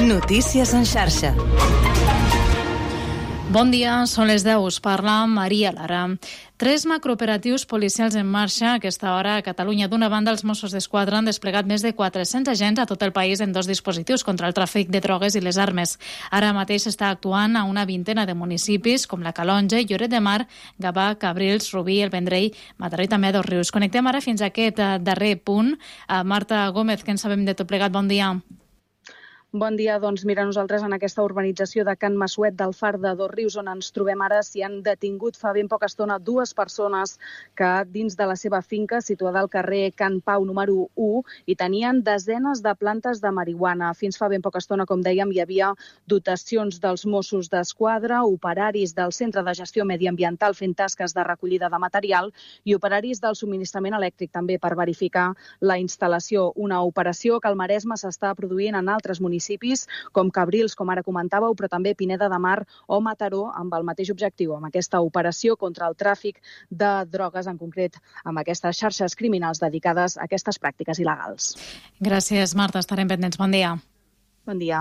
Notícies en xarxa. Bon dia, són les 10, us parla Maria Lara. 3 macrooperatius policials en marxa a aquesta hora a Catalunya. D'una banda, els Mossos d'Esquadra han desplegat més de 400 agents a tot el país en 2 dispositius contra el tràfic de drogues i les armes. Ara mateix s'està actuant a una vintena de municipis com la Calonge, Lloret de Mar, Gavà, Cabrils, Rubí, el Vendrell, Mataró i també a Dosrius. Connectem ara fins a aquest darrer punt. Marta Gómez, què en sabem de tot plegat? Bon dia. Bon dia, doncs mira, nosaltres en aquesta urbanització de Can Massuet del Far de Dosrius, on ens trobem ara, s'hi han detingut fa ben poca estona 2 persones que dins de la seva finca, situada al carrer Can Pau número 1, hi tenien desenes de plantes de marihuana. Fins fa ben poca estona, com dèiem, hi havia dotacions dels Mossos d'Esquadra, operaris del Centre de Gestió Mediambiental fent tasques de recollida de material i operaris del subministrament elèctric també per verificar la instal·lació. Una operació que al Maresme s'està produint en altres municipis com Cabrils, com ara comentàveu, però també Pineda de Mar o Mataró, amb el mateix objectiu, amb aquesta operació contra el tràfic de drogues, en concret amb aquestes xarxes criminals dedicades a aquestes pràctiques il·legals. Gràcies, Marta. Estarem pendents. Bon dia. Bon dia.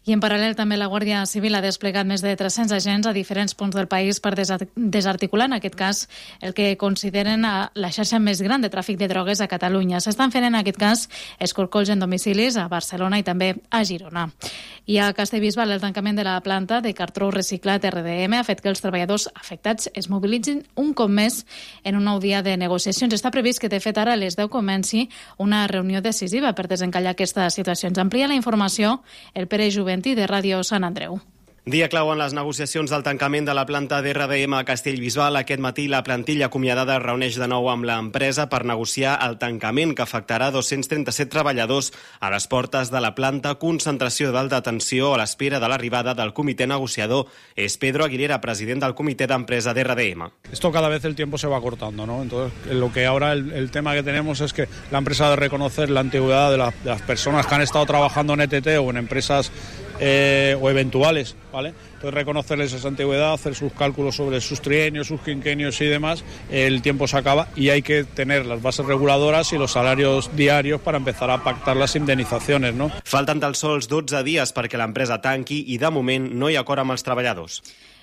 I en paral·lel també la Guàrdia Civil ha desplegat més de 300 agents a diferents punts del país per desarticular, en aquest cas, el que consideren la xarxa més gran de tràfic de drogues a Catalunya. S'estan fent, en aquest cas, escorcolls en domicilis a Barcelona i també a Girona. I a Castellbisbal, el tancament de la planta de cartró reciclat RDM ha fet que els treballadors afectats es mobilitzin un cop més en un nou dia de negociacions. Està previst que, de fet, ara a les 10 comenci una reunió decisiva per desencallar aquesta situació. Ens amplia la informació el Pere Juventí de Ràdio Sant Andreu. Dia clau en les negociacions del tancament de la planta d'RDM a Castellbisbal. Aquest matí la plantilla acomiadada es reuneix de nou amb l'empresa per negociar el tancament que afectarà 237 treballadors a les portes de la planta. Concentració d'alta tensió a l'espera de l'arribada del comitè negociador. És Pedro Aguilera, president del comitè d'empresa d'RDM. Esto cada vez el tiempo se va cortando, ¿no? Entonces, lo que ahora el tema que tenemos es que la empresa ha de reconocer la antigüedad de las personas que han estado trabajando en ETT o en empresas o eventuales, ¿vale? Entonces reconocerles esa antigüedad, hacer sus cálculos sobre sus trienios, sus quinquenios y demás. El tiempo se acaba y hay que tener las bases reguladoras y los salarios diarios para empezar a pactar las indemnizaciones, ¿no? Falten tan sols 12 dies perquè l'empresa tanqui i de moment no hi ha acord amb els treballadors.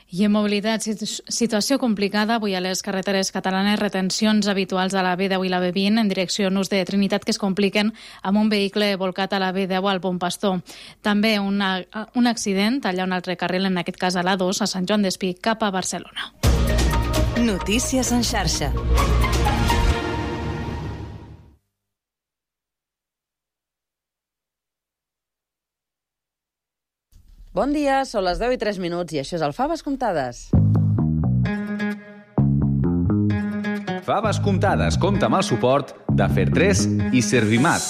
I en mobilitat, situació complicada avui a les carreteres catalanes, retencions habituals a la B10 i la B20 en direcció Nus de Trinitat que es compliquen amb un vehicle volcat a la B10 al Bon Pastor. També un accident allà un altre carril, en aquest cas a l'A2, a Sant Joan d'Espí, cap a Barcelona. Notícies en xarxa. Bon dia, són les 10 i 3 minuts i això és el Faves Comptades. Faves Comptades compta amb el suport de Fer3 i Servimat.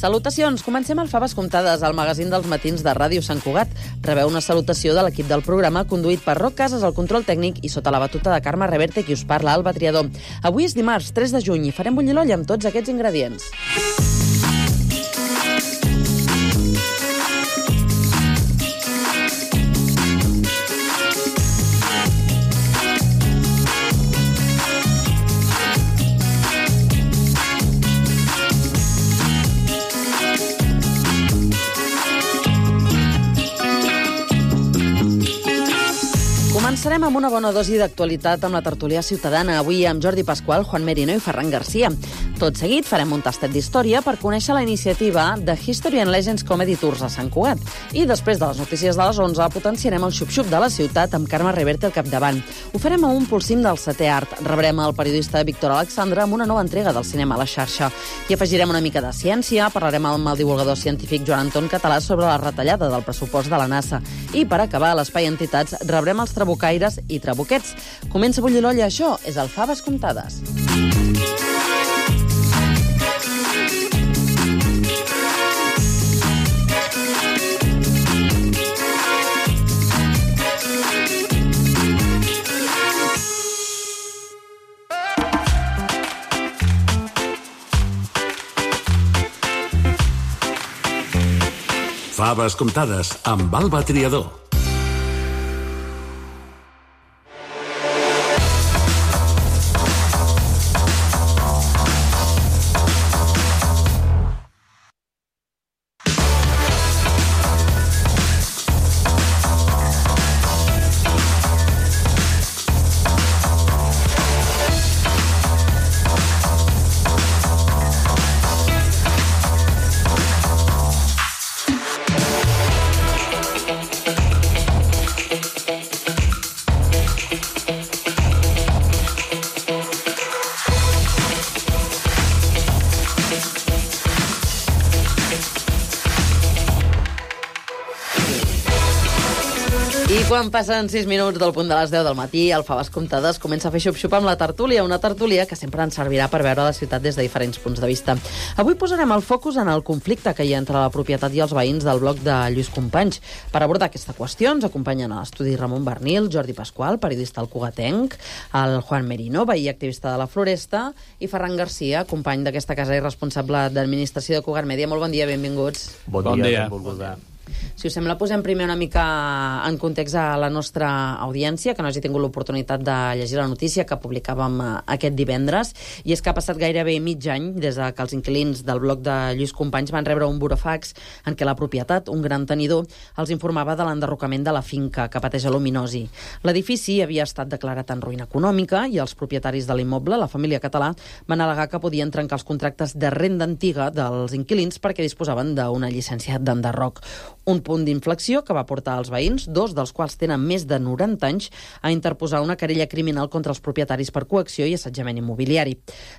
Salutacions, comencem el Faves Comptades, el magazín dels matins de Ràdio Sant Cugat. Rebeu una salutació de l'equip del programa conduït per Roc Casas al control tècnic i sota la batuta de Carme Reverte, qui us parla, Alba Triador. Avui és dimarts, 3 de juny, i farem bullir l'olla amb tots aquests ingredients. Començarem amb una bona dosi d'actualitat amb la tertúlia ciutadana, avui amb Jordi Pasqual, Juan Merino i Ferran Garcia. Tot seguit farem un tastet d'història per conèixer la iniciativa de History and Legends Comedy Tours a Sant Cugat. I després de les notícies de les 11 potenciarem el xup-xup de la ciutat amb Carme Reverte al capdavant. Ho farem amb un polsim del setè art. Rebrem el periodista Víctor Alexandre amb una nova entrega del cinema a la xarxa. I afegirem una mica de ciència, parlarem amb el divulgador científic Joan Anton Català sobre la retallada del pressupost de la NASA. I per acabar, a l'Espai Entitats rebrem els trabucaires i trabuquets. Comença a bullir l'olla, això és el Faves Comptades. Faves comptades amb Alba Triador. Quan passen 6 minuts del punt de les 10 del matí, el Faves Comptades comença a fer xup-xup amb la tertúlia, una tertúlia que sempre ens servirà per veure la ciutat des de diferents punts de vista. Avui posarem el focus en el conflicte que hi ha entre la propietat i els veïns del bloc de Lluís Companys. Per abordar aquesta qüestió ens acompanyen a l'estudi Ramon Bernil, Jordi Pasqual, periodista al Cugatenc, el Juan Merino, veí activista de la Floresta, i Ferran Garcia, company d'aquesta casa i responsable d'administració de Cugat Mèdia. Molt bon dia, benvinguts. Bon dia. Benvolguda. Si us sembla, posem primer una mica en context a la nostra audiència, que no hagi tingut l'oportunitat de llegir la notícia que publicàvem aquest divendres, i és que ha passat gairebé mig any des que els inquilins del bloc de Lluís Companys van rebre un burofax en què la propietat, un gran tenidor, els informava de l'enderrocament de la finca que pateix aluminosi. L'edifici havia estat declarat en ruïna econòmica i els propietaris de l'immoble, la família Català, van al·legar que podien trencar els contractes de renda antiga dels inquilins perquè disposaven d'una llicència d'enderroc. Un punt d'inflexió que va portar als veïns, dos dels quals tenen més de 90 anys, a interposar una querella criminal contra els propietaris per coacció i assetjament immobiliari.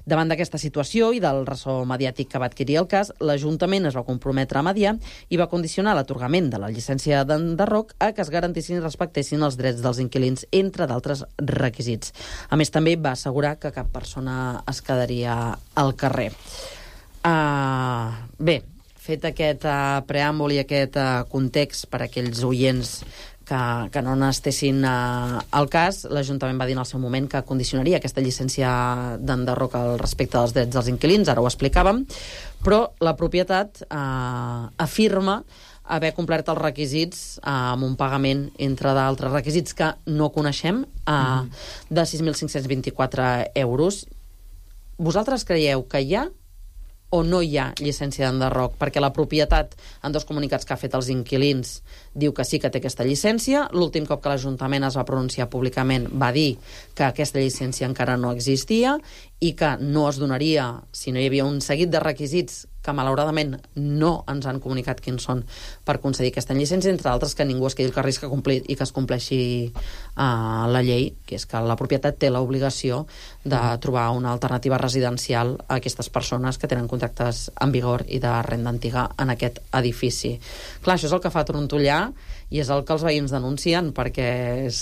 Davant d'aquesta situació i del ressò mediàtic que va adquirir el cas, l'Ajuntament es va comprometre a mediar i va condicionar l'atorgament de la llicència d'enderroc a que es garantissin i respectessin els drets dels inquilins, entre d'altres requisits. A més, també va assegurar que cap persona es quedaria al carrer. Bé, fet aquest preàmbul i aquest context per a aquells oients que no n'estessin al cas, l'Ajuntament va dir en el seu moment que condicionaria aquesta llicència d'enderroc al respecte dels drets dels inquilins, ara ho explicàvem, però la propietat afirma haver complert els requisits amb un pagament, entre d'altres requisits que no coneixem, de 6.524 euros. Vosaltres creieu que hi ha o no hi ha llicència d'enderroc? Perquè la propietat, en dos comunicats que ha fet els inquilins, diu que sí que té aquesta llicència. L'últim cop que l'Ajuntament es va pronunciar públicament va dir que aquesta llicència encara no existia i que no es donaria si no hi havia un seguit de requisits que malauradament no ens han comunicat quins són per concedir aquesta llicència, entre d'altres que ningú es quedi el carrer que complir i que es compleixi la llei, que és que la propietat té l'obligació de trobar una alternativa residencial a aquestes persones que tenen contractes en vigor i de renda antiga en aquest edifici. Clar, això és el que fa trontollar i és el que els veïns denuncien, perquè és...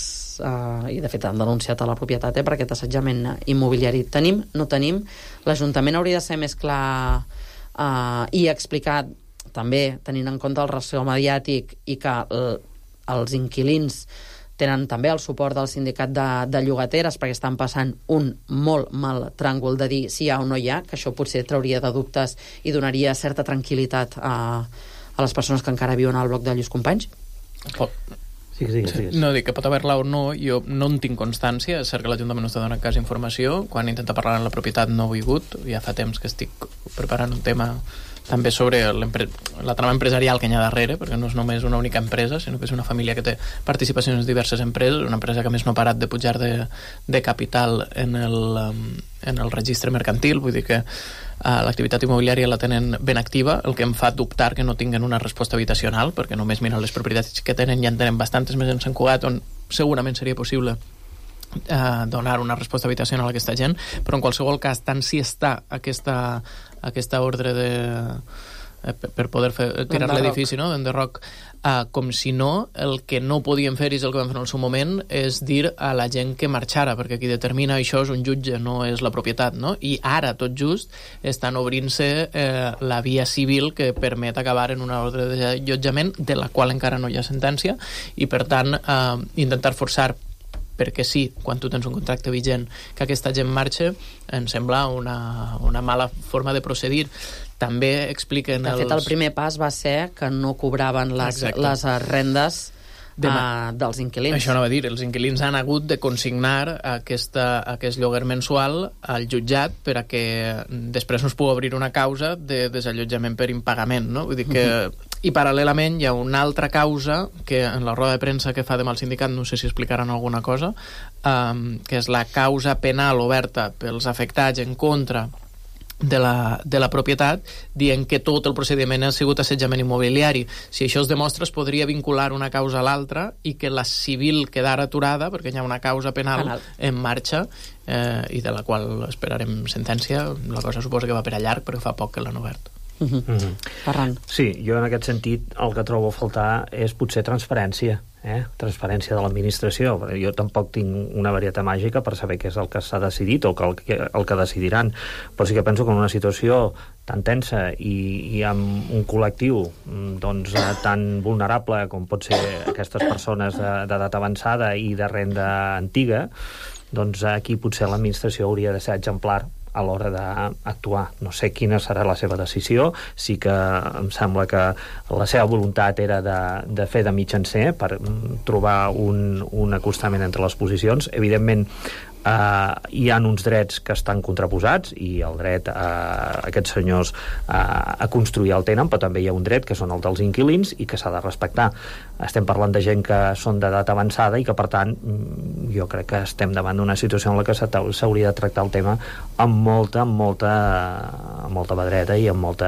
i de fet han denunciat a la propietat per aquest assetjament immobiliari. Tenim? No tenim? L'Ajuntament hauria de ser més clar i explicar també, tenint en compte el ressò mediàtic i que els inquilins tenen també el suport del sindicat de llogateres perquè estan passant un molt mal tràngol de dir si hi ha o no hi ha, que això potser trauria de dubtes i donaria certa tranquil·litat a les persones que encara viuen al bloc de Lluís Companys. No, dic que pot haver-la o no, jo no en tinc constància. És cert que l'Ajuntament no està donant cas informació. Quan intenta parlar amb la propietat no ho he hagut. Ja fa temps que estic preparant un tema també sobre la trama empresarial que hi ha darrere, perquè no és només una única empresa, sinó que és una família que té participacions en diverses empreses, una empresa que a més no ha parat de pujar de capital en el registre mercantil, vull dir que l'activitat immobiliària la tenen ben activa, el que em fa dubtar que no tinguen una resposta habitacional, perquè només miren les propietats que tenen, ja en tenen bastantes més en Sant Cugat, on segurament seria possible donar una resposta habitacional a aquesta gent, però en qualsevol cas, tant si està aquesta ordre per poder tirar l'edifici, no?, d'enderroc, com si no, el que no podien fer, i és el que vam fer en el seu moment, és dir a la gent que marxara, perquè qui determina això és un jutge, no és la propietat, no? I ara, tot just, estan obrint-se la via civil que permet acabar en una ordre d'allotjament de la qual encara no hi ha sentència, i per tant intentar forçar perquè sí, quan tu tens un contracte vigent, que aquesta gent marxa, em sembla una mala forma de procedir. també expliquen... De fet, el primer pas va ser que no cobraven les rendes dels inquilins. Això anava a dir, els inquilins han hagut de consignar aquest lloguer mensual al jutjat per a que després no es pugui obrir una causa de desallotjament per impagament, no? Vull dir que... I paral·lelament hi ha una altra causa que en la roda de premsa que fa demà el sindicat, no sé si explicaran alguna cosa, que és la causa penal oberta pels afectats en contra de la propietat, dient que tot el procediment ha sigut assetjament immobiliari. Si això es demostra, es podria vincular una causa a l'altra i que la civil quedara aturada perquè hi ha una causa penal en marxa i de la qual esperarem sentència. La cosa suposa que va per a llarg perquè fa poc que l'han obert. Ferran. Sí, jo en aquest sentit el que trobo a faltar és potser transparència, transparència de l'administració. Jo tampoc tinc una varietat màgica per saber què és el que s'ha decidit o el que decidiran, però sí que penso que en una situació tan tensa i amb un col·lectiu doncs, tan vulnerable com pot ser aquestes persones d'edat avançada i de renda antiga, doncs aquí potser l'administració hauria de ser exemplar a l'hora d'actuar. No sé quina serà la seva decisió, sí que em sembla que la seva voluntat era de fer de mitjancer per trobar un acostament entre les posicions. Evidentment, hi ha uns drets que estan contraposats i el dret a aquests senyors a construir el tenen, però també hi ha un dret que són el dels inquilins i que s'ha de respectar. Estem parlant de gent que són d'edat avançada i que, per tant, jo crec que estem davant d'una situació en la que s'hauria de tractar el tema amb molta pedreta i amb molt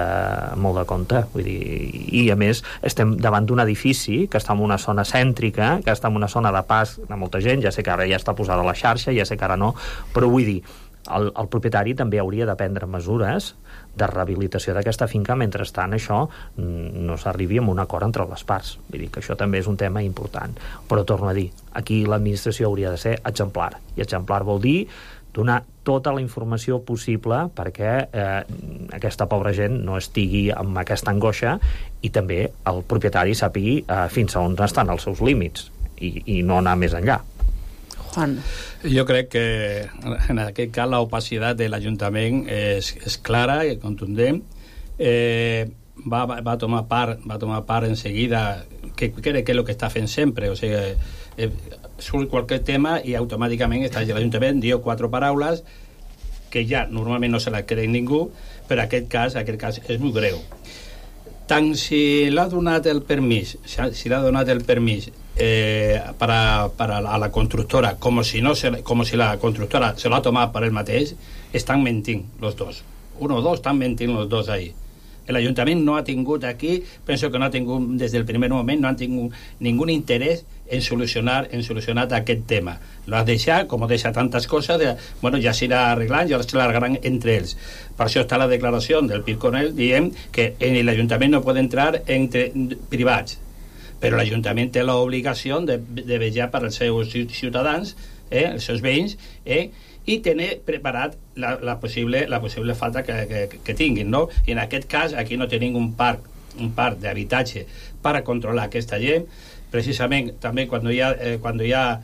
de compte. Vull dir, i a més estem davant d'un edifici que està en una zona cèntrica, que està en una zona de pas de molta gent. Ja sé que ara ja està posada a la xarxa, ja sé que ara no, però vull dir, el propietari també hauria de prendre mesures de rehabilitació d'aquesta finca. Mentrestant això no s'arribi a un acord entre les parts. Vull dir que això també és un tema important, però torno a dir, aquí l'administració hauria de ser exemplar, i exemplar vol dir donar tota la informació possible perquè aquesta pobra gent no estigui amb aquesta angoixa i també el propietari sàpigui fins a on estan els seus límits i no anar més enllà. Juan. Jo crec que en aquest cas l'opacitat de l'Ajuntament és clara i contundent. Va tomar part enseguida que crec que és el que està fent sempre, o sigui, surt qualsevol tema i automàticament l'Ajuntament diu 4 paraules que ja normalment no se la creu ningú, però aquest cas és molt greu. Tant si l'ha donat el permís para la constructora como si la constructora se lo ha tomado para el mateix, están mentint los dos. Uno o dos están mentint los dos ahí. El Ayuntament no ha tingut aquí, penso que no ha tingut des del primer moment, no han tingut ningún interès en solucionar aquest tema. Lo ha deixat, com deixa tantes coses, ja s'irà arreglant, ja l'arreglaran entre ells. Per això està la declaració del Pirconel dient que l'Ajuntament no pot entrar entre privats, però l'Ajuntament té l'obligació de vetllar per als seus ciutadans, els seus veïns, i tenir preparat la possible falta que tinguin, no? I en aquest cas aquí no tenim un parc d'habitatge per a controlar aquesta gent. Precisament també quan hi ha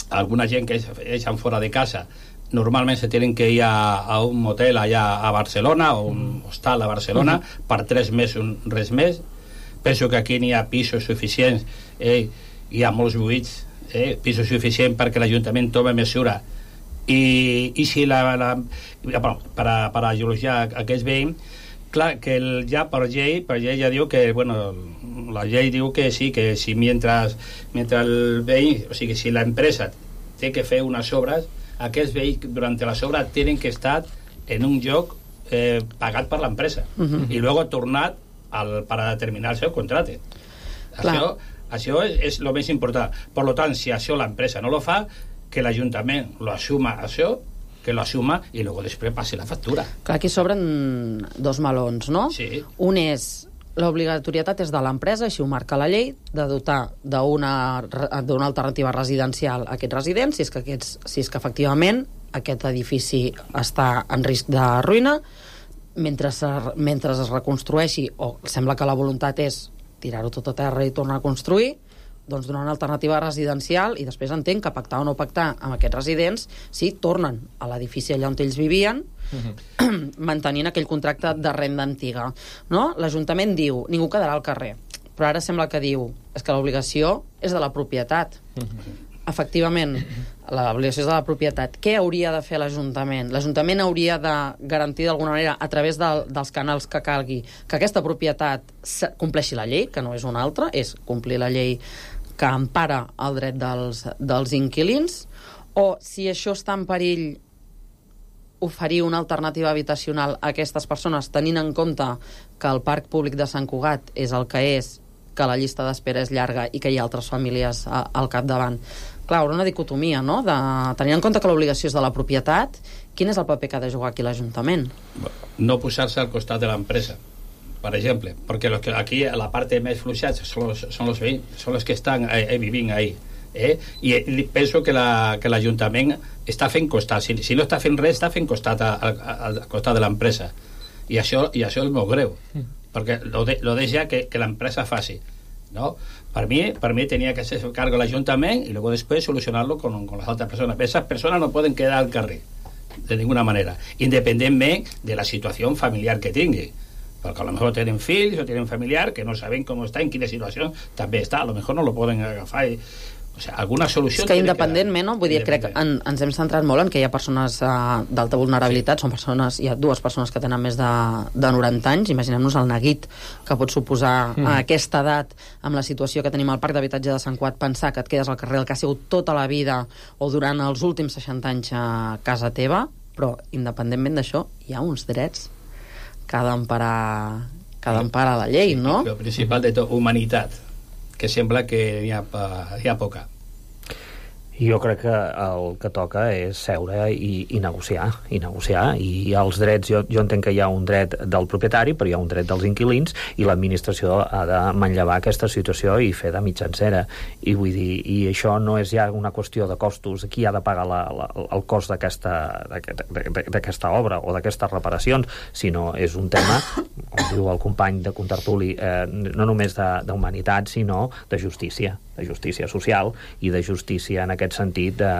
alguna gent que eixen fora de casa, normalment se tenen que ir a un motel allà a Barcelona o un hostal a Barcelona per 3 mesos, res més. Penso que aquí n'hi ha pisos suficients, hi ha molts buits, pisos suficients perquè l'Ajuntament tome mesura i si per a geologiar aquest veïn, clar que ja per llei ja diu que la llei diu que sí, que si mentre el veí, o sigui, si la empresa té que fer unes obres, aquests veïns durant les obres tenen que estar en un lloc pagat per l'empresa i luego tornat per a terminar el seu contracte. Això és el més important. Per tant, si això l'empresa no lo fa, que l'Ajuntament lo assuma això, que lo assuma i luego després passi la factura. Clar, aquí s'obren 2 melons, no? Sí. Un és l'obligatorietat és de l'empresa, així ho marca la llei, de dotar d'una alternativa residencial a aquests residents, si és que efectivament aquest edifici està en risc de ruïna, mentre es reconstrueixi, o sembla que la voluntat és tirar-ho tot a terra i tornar a construir, doncs, donar una alternativa residencial i després entenc que pactar o no pactar amb aquests residents sí, tornen a l'edifici allà on ells vivien, mantenint aquell contracte de renda antiga. No? L'Ajuntament diu, ningú quedarà al carrer, però ara sembla que diu és que l'obligació és de la propietat. Efectivament, l'obligació és de la propietat. Què hauria de fer l'Ajuntament? L'Ajuntament hauria de garantir d'alguna manera, a través dels canals que calgui, que aquesta propietat compleixi la llei, que no és una altra, és complir la llei que empara el dret dels inquilins, o si això està en perill, oferir una alternativa habitacional a aquestes persones, tenint en compte que el parc públic de Sant Cugat és el que és, que la llista d'espera és llarga i que hi ha altres famílies al capdavant. Clar, una dicotomia, no? Tenint en compte que l'obligació és de la propietat, quin és el paper que ha de jugar aquí l'Ajuntament? No posar-se al costat de l'empresa, per exemple, perquè aquí la part més fluixada són els veïns, són els que estan vivint ahí. I penso que l'Ajuntament està fent costat, si no està fent res, està fent costat al costat de l'empresa, i això és molt greu, perquè lo deixa que l'empresa faci, ¿no? Para mí tenía que hacerse cargo el ayuntamiento y luego después solucionarlo con las otras personas. Esas personas no pueden quedar al carrer de ninguna manera, independientemente de la situación familiar que tengan, porque a lo mejor tienen fills o tienen familiar que no saben cómo está, en quina situació també està, a lo mejor no lo poden agafar o sigui, alguna solució... És que independentment, no? Vull dir, crec que ens hem centrat molt en que hi ha persones d'alta vulnerabilitat, hi ha dues persones que tenen més de 90 anys, imaginem-nos el neguit que pot suposar a aquesta edat, amb la situació que tenim al parc d'habitatge de Sant Cugat, pensar que et quedes al carrer el que ha sigut tota la vida o durant els últims 60 anys a casa teva, però independentment d'això hi ha uns drets que ha d'emparar la llei, no? El principal de tot, humanitat, que sembla que hi ha poca. Jo crec que el que toca és seure i negociar, i els drets, jo entenc que hi ha un dret del propietari, però hi ha un dret dels inquilins, i l'administració ha de manllevar aquesta situació i fer de mitjancera, i vull dir, i això no és ja una qüestió de costos, qui ha de pagar el cost d'aquesta obra o d'aquestes reparacions, sinó és un tema, com diu el company de contertuli, no només d'humanitat, sinó de justícia social i de justícia en aquest sentit de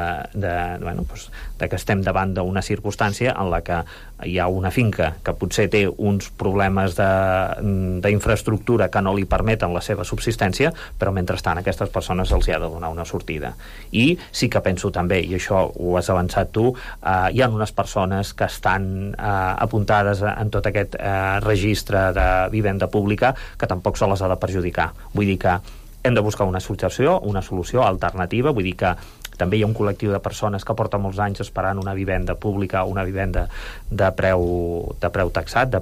que estem davant d'una circumstància en la que hi ha una finca que potser té uns problemes d'infraestructura que no li permeten la seva subsistència, però mentrestant a aquestes persones se'ls ha de donar una sortida. I sí que penso també, i això ho has avançat tu, hi ha unes persones que estan apuntades en tot aquest registre de vivenda pública que tampoc se les ha de perjudicar. Vull dir que hem de buscar una solució alternativa, vull dir que també hi ha un col·lectiu de persones que porta molts anys esperant una vivenda pública, una vivenda de preu taxat, de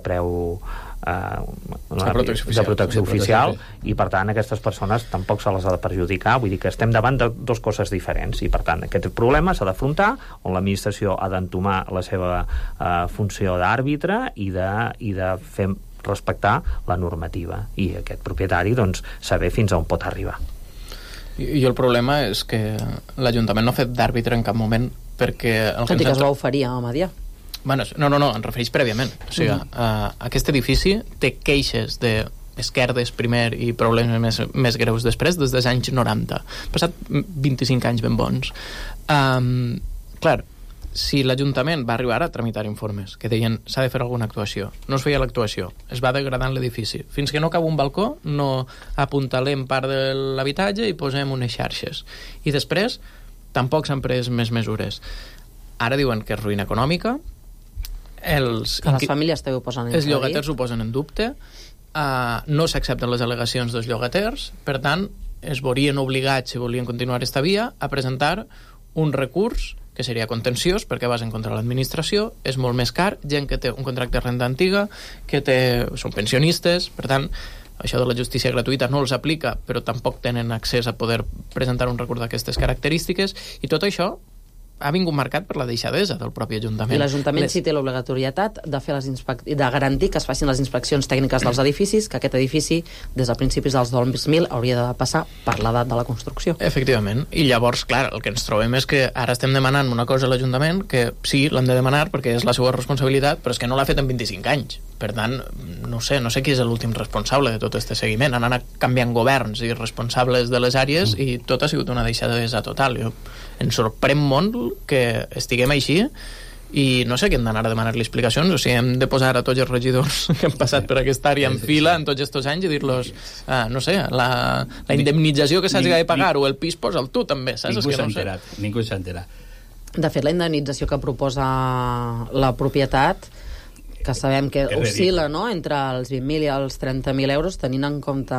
protecció oficial, i per tant aquestes persones tampoc se les ha de perjudicar, vull dir que estem davant de dues coses diferents, i per tant aquest problema s'ha d'afrontar, on l'administració ha d'entomar la seva funció d'àrbitre i de fer respectar la normativa, i aquest propietari doncs saber fins on pot arribar. I el problema és que l'Ajuntament no ha fet d'àrbitre en cap moment, perquè... Tot i que es va oferir a mediar. Bueno, no, em refereix prèviament. O sigui, aquest edifici té queixes d'esquerdes primer i problemes més greus després, des dels anys 90. Passat 25 anys ben bons. Clar, si l'Ajuntament va arribar a tramitar informes que deien s'ha de fer alguna actuació, no es feia l'actuació, es va degradant l'edifici, fins que no cau un balcó no apuntalem part de l'habitatge i posem unes xarxes, i després tampoc s'han pres més mesures. Ara diuen que és ruïna econòmica, que les famílies també ho posen en els llogaters ho posen en dubte, no s'accepten les al·legacions dels llogaters, per tant es veurien obligats, si volien continuar esta via, a presentar un recurs que seria contenciós, perquè vas en contra de l'administració, és molt més car, gent que té un contracte de renda antiga, són pensionistes, per tant, això de la justícia gratuïta no els aplica, però tampoc tenen accés a poder presentar un recurs d'aquestes característiques, i tot això ha vingut marcat per la deixadesa del propi Ajuntament. I l'Ajuntament sí té l'obligatorietat de fer de garantir que es facin les inspeccions tècniques dels edificis, que aquest edifici, des de principis dels 2000, hauria de passar per l'edat de la construcció. Efectivament. I llavors, clar, el que ens trobem és que ara estem demanant una cosa a l'Ajuntament, que sí, l'han de demanar perquè és la seva responsabilitat, però és que no l'ha fet en 25 anys. Per tant, no sé qui és l'últim responsable de tot aquest seguiment. Han anat canviant governs i responsables de les àrees i tot ha sigut una deixadesa total. Em sorprèn molt que estiguem així i no sé què hem d'anar a demanar-li explicacions, o sigui, hem de posar a tots els regidors que han passat per aquesta àrea en fila en tots aquests anys i dir-los no sé, la indemnització que s'hagi de pagar o el pis posa'l tu també, saps? Ningú s'ha enterat. De fet, la indemnització que proposa la propietat, que sabem que oscil·la, no?, entre els 20.000 i els 30.000 euros, tenint en compte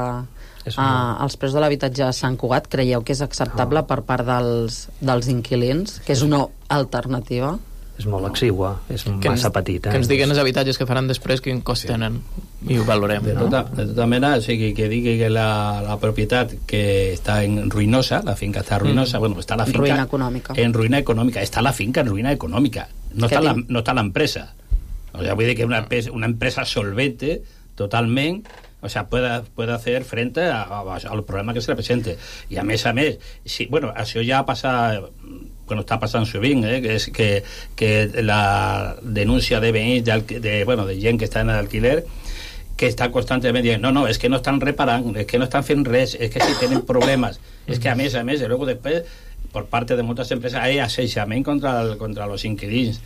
els preus de l'habitatge a Sant Cugat, creieu que és acceptable per part dels inquilins? Que és una alternativa? És molt exigua, és massa petit. Que ens diguen els habitatges que faran després quin cost tenen i ho valorem. De tota mena, o sigui, que digui que la propietat que està en ruïnosa, la finca està ruïnosa, bueno, està la finca... Ruïna econòmica. En ruïna econòmica. Està la finca en ruïna econòmica. No està l'empresa. O sea, vull dir que una empresa solvente totalment, o sea, puede hacer frente al problema que se le presente. I a més, sí, bueno, això ja passa... Bueno, està passant sovint, que és que la denúncia de veïns, de gent que està en l'alquiler, que està constantment dient, no, és que no estan reparant, és que no estan fent res, és que si tenen problemes, és que a més, luego después, por parte de moltes empreses, hay assetjament contra los inquilins,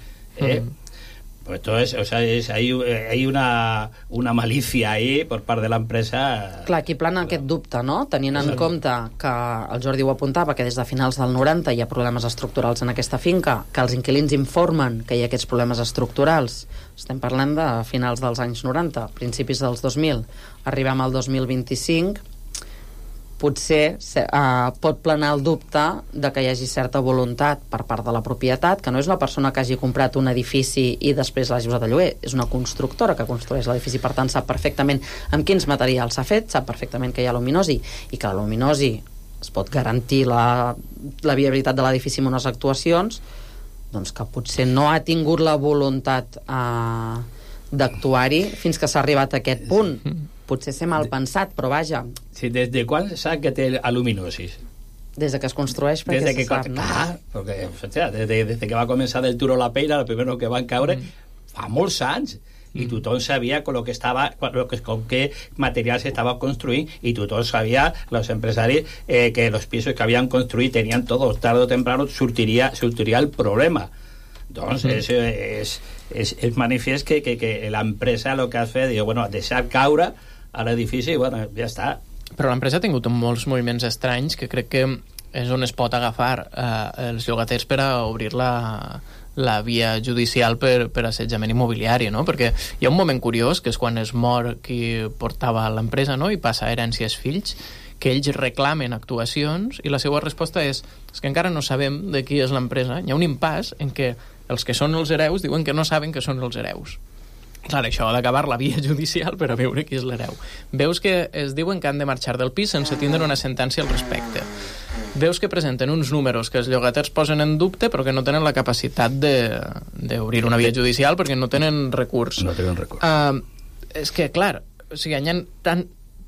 pues todo es, o sea, hay una malicia ahí por part de l'empresa. Clar, aquí plana aquest dubte, no? Tenint en compte que el Jordi ho apuntava, que des de finals del 90 hi ha problemes estructurals en aquesta finca, que els inquilins informen que hi ha aquests problemes estructurals. Estem parlant de finals dels anys 90, principis dels 2000. Arribem al 2025, potser pot planar el dubte de que hi hagi certa voluntat per part de la propietat, que no és la persona que hagi comprat un edifici i després l'hagi usat a lloguer, és una constructora que construeix l'edifici, per tant sap perfectament amb quins materials s'ha fet, sap perfectament que hi ha luminosi i que la luminosi es pot garantir la viabilitat de l'edifici amb unes actuacions, doncs que potser no ha tingut la voluntat d'actuar-hi fins que s'ha arribat a aquest punt. Potser ser mal pensat, però vaja. Sí, des de quan sap que té aluminosis? Des de que es construeix, perquè se sap, no? Perquè, des que va començar del Turo la Peira, el primer que van caure, fa molts anys, i tothom sabia con qué material se estaba construint, i tothom sabia, los empresaris, que los pisos que habían construït tenien todo, tarde o temprano sortiria el problema. Doncs és manifest que l'empresa el que ha fet, bueno, deixar caure a l'edifici, bueno, ja està. Però l'empresa ha tingut molts moviments estranys que crec que és on es pot agafar els llogaters per a obrir la via judicial per assetjament immobiliari, no? Perquè hi ha un moment curiós, que és quan es mor qui portava l'empresa, no?, i passa herència als fills, que ells reclamen actuacions i la seva resposta és que encara no sabem de qui és l'empresa. Hi ha un impàs en què els que són els hereus diuen que no saben que són els hereus. Clar, això ha d'acabar la via judicial per a veure qui és l'hereu. Veus que es diuen que han de marxar del pis sense tindre una sentència al respecte. Veus que presenten uns números que els llogaters posen en dubte però que no tenen la capacitat d'obrir una via judicial perquè no tenen recurs. No tenen recurs. És que, clar, o sigui, hi ha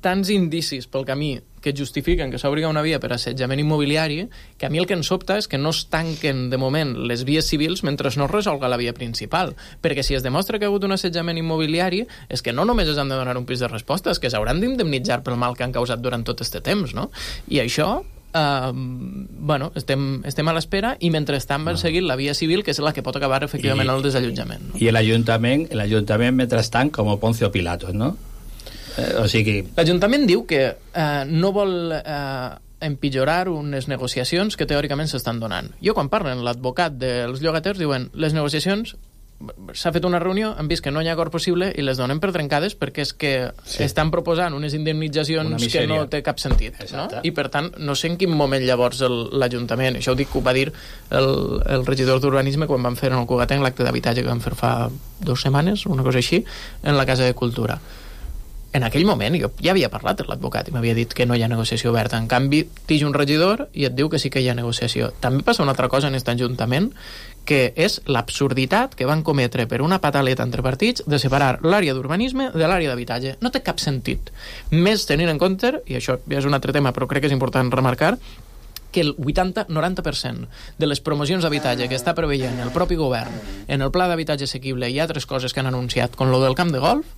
tants indicis pel camí que justifiquen que s'obri una via per assetjament immobiliari, que a mi el que em sobta és que no es tanquen de moment les vies civils mentre no es resolga la via principal, perquè si es demostra que ha hagut un assetjament immobiliari és que no només es han de donar un pis de resposta, és que s'hauran d'indemnitzar pel mal que han causat durant tot aquest temps, no? I això bueno, estem a l'espera i mentrestant van seguir la via civil, que és la que pot acabar efectivament el desallotjament, no? I l'Ajuntament mentrestant com Poncio Pilatos, no? O sigui... L'Ajuntament diu que no vol empitjorar unes negociacions que teòricament s'estan donant. Jo, quan parlen l'advocat dels llogaters, diuen les negociacions, s'ha fet una reunió, han vist que no hi ha acord possible i les donen per trencades perquè és que estan proposant unes indemnitzacions que no té cap sentit, no? I per tant, no sé en quin moment llavors l'Ajuntament, això ho dic que ho va dir el regidor d'Urbanisme quan van fer en el Cugatenc l'acte d'habitatge que van fer fa 2 setmanes, una cosa així, en la Casa de Cultura. en aquell moment jo ja havia parlat amb l'advocat i m'havia dit que no hi ha negociació oberta. En canvi, tix un regidor i et diu que sí que hi ha negociació. També passa una altra cosa en aquest ajuntament, que és l'absurditat que van cometre per una pataleta entre partits de separar l'àrea d'urbanisme de l'àrea d'habitatge. No té cap sentit. Més tenint en compte, i això ja és un altre tema, però crec que és important remarcar, que el 80-90% de les promocions d'habitatge que està preveient el propi govern en el pla d'habitatge assequible i altres coses que han anunciat, com lo del camp de golf,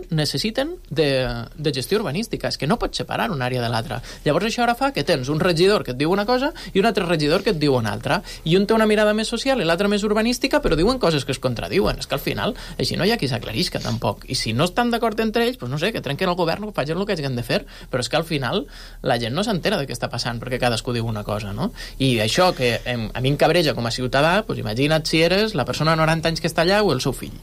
necessiten de gestió urbanística. És que no pots separar una àrea de l'altra. Llavors això ara fa que tens un regidor que et diu una cosa i un altre regidor que et diu una altra. I un té una mirada més social i l'altra més urbanística, però diuen coses que es contradiuen. És que al final, així no hi ha qui s'aclarisca tampoc. I si no estan d'acord entre ells, doncs no sé, que trenquen el govern, que facin el que hagin de fer. Però és que al final la gent no s'entera de què està passant perquè cadascú diu una cosa, no? I això que a mi em cabreja com a ciutadà, doncs imagina't si eres la persona de 90 anys que està allà o el seu fill.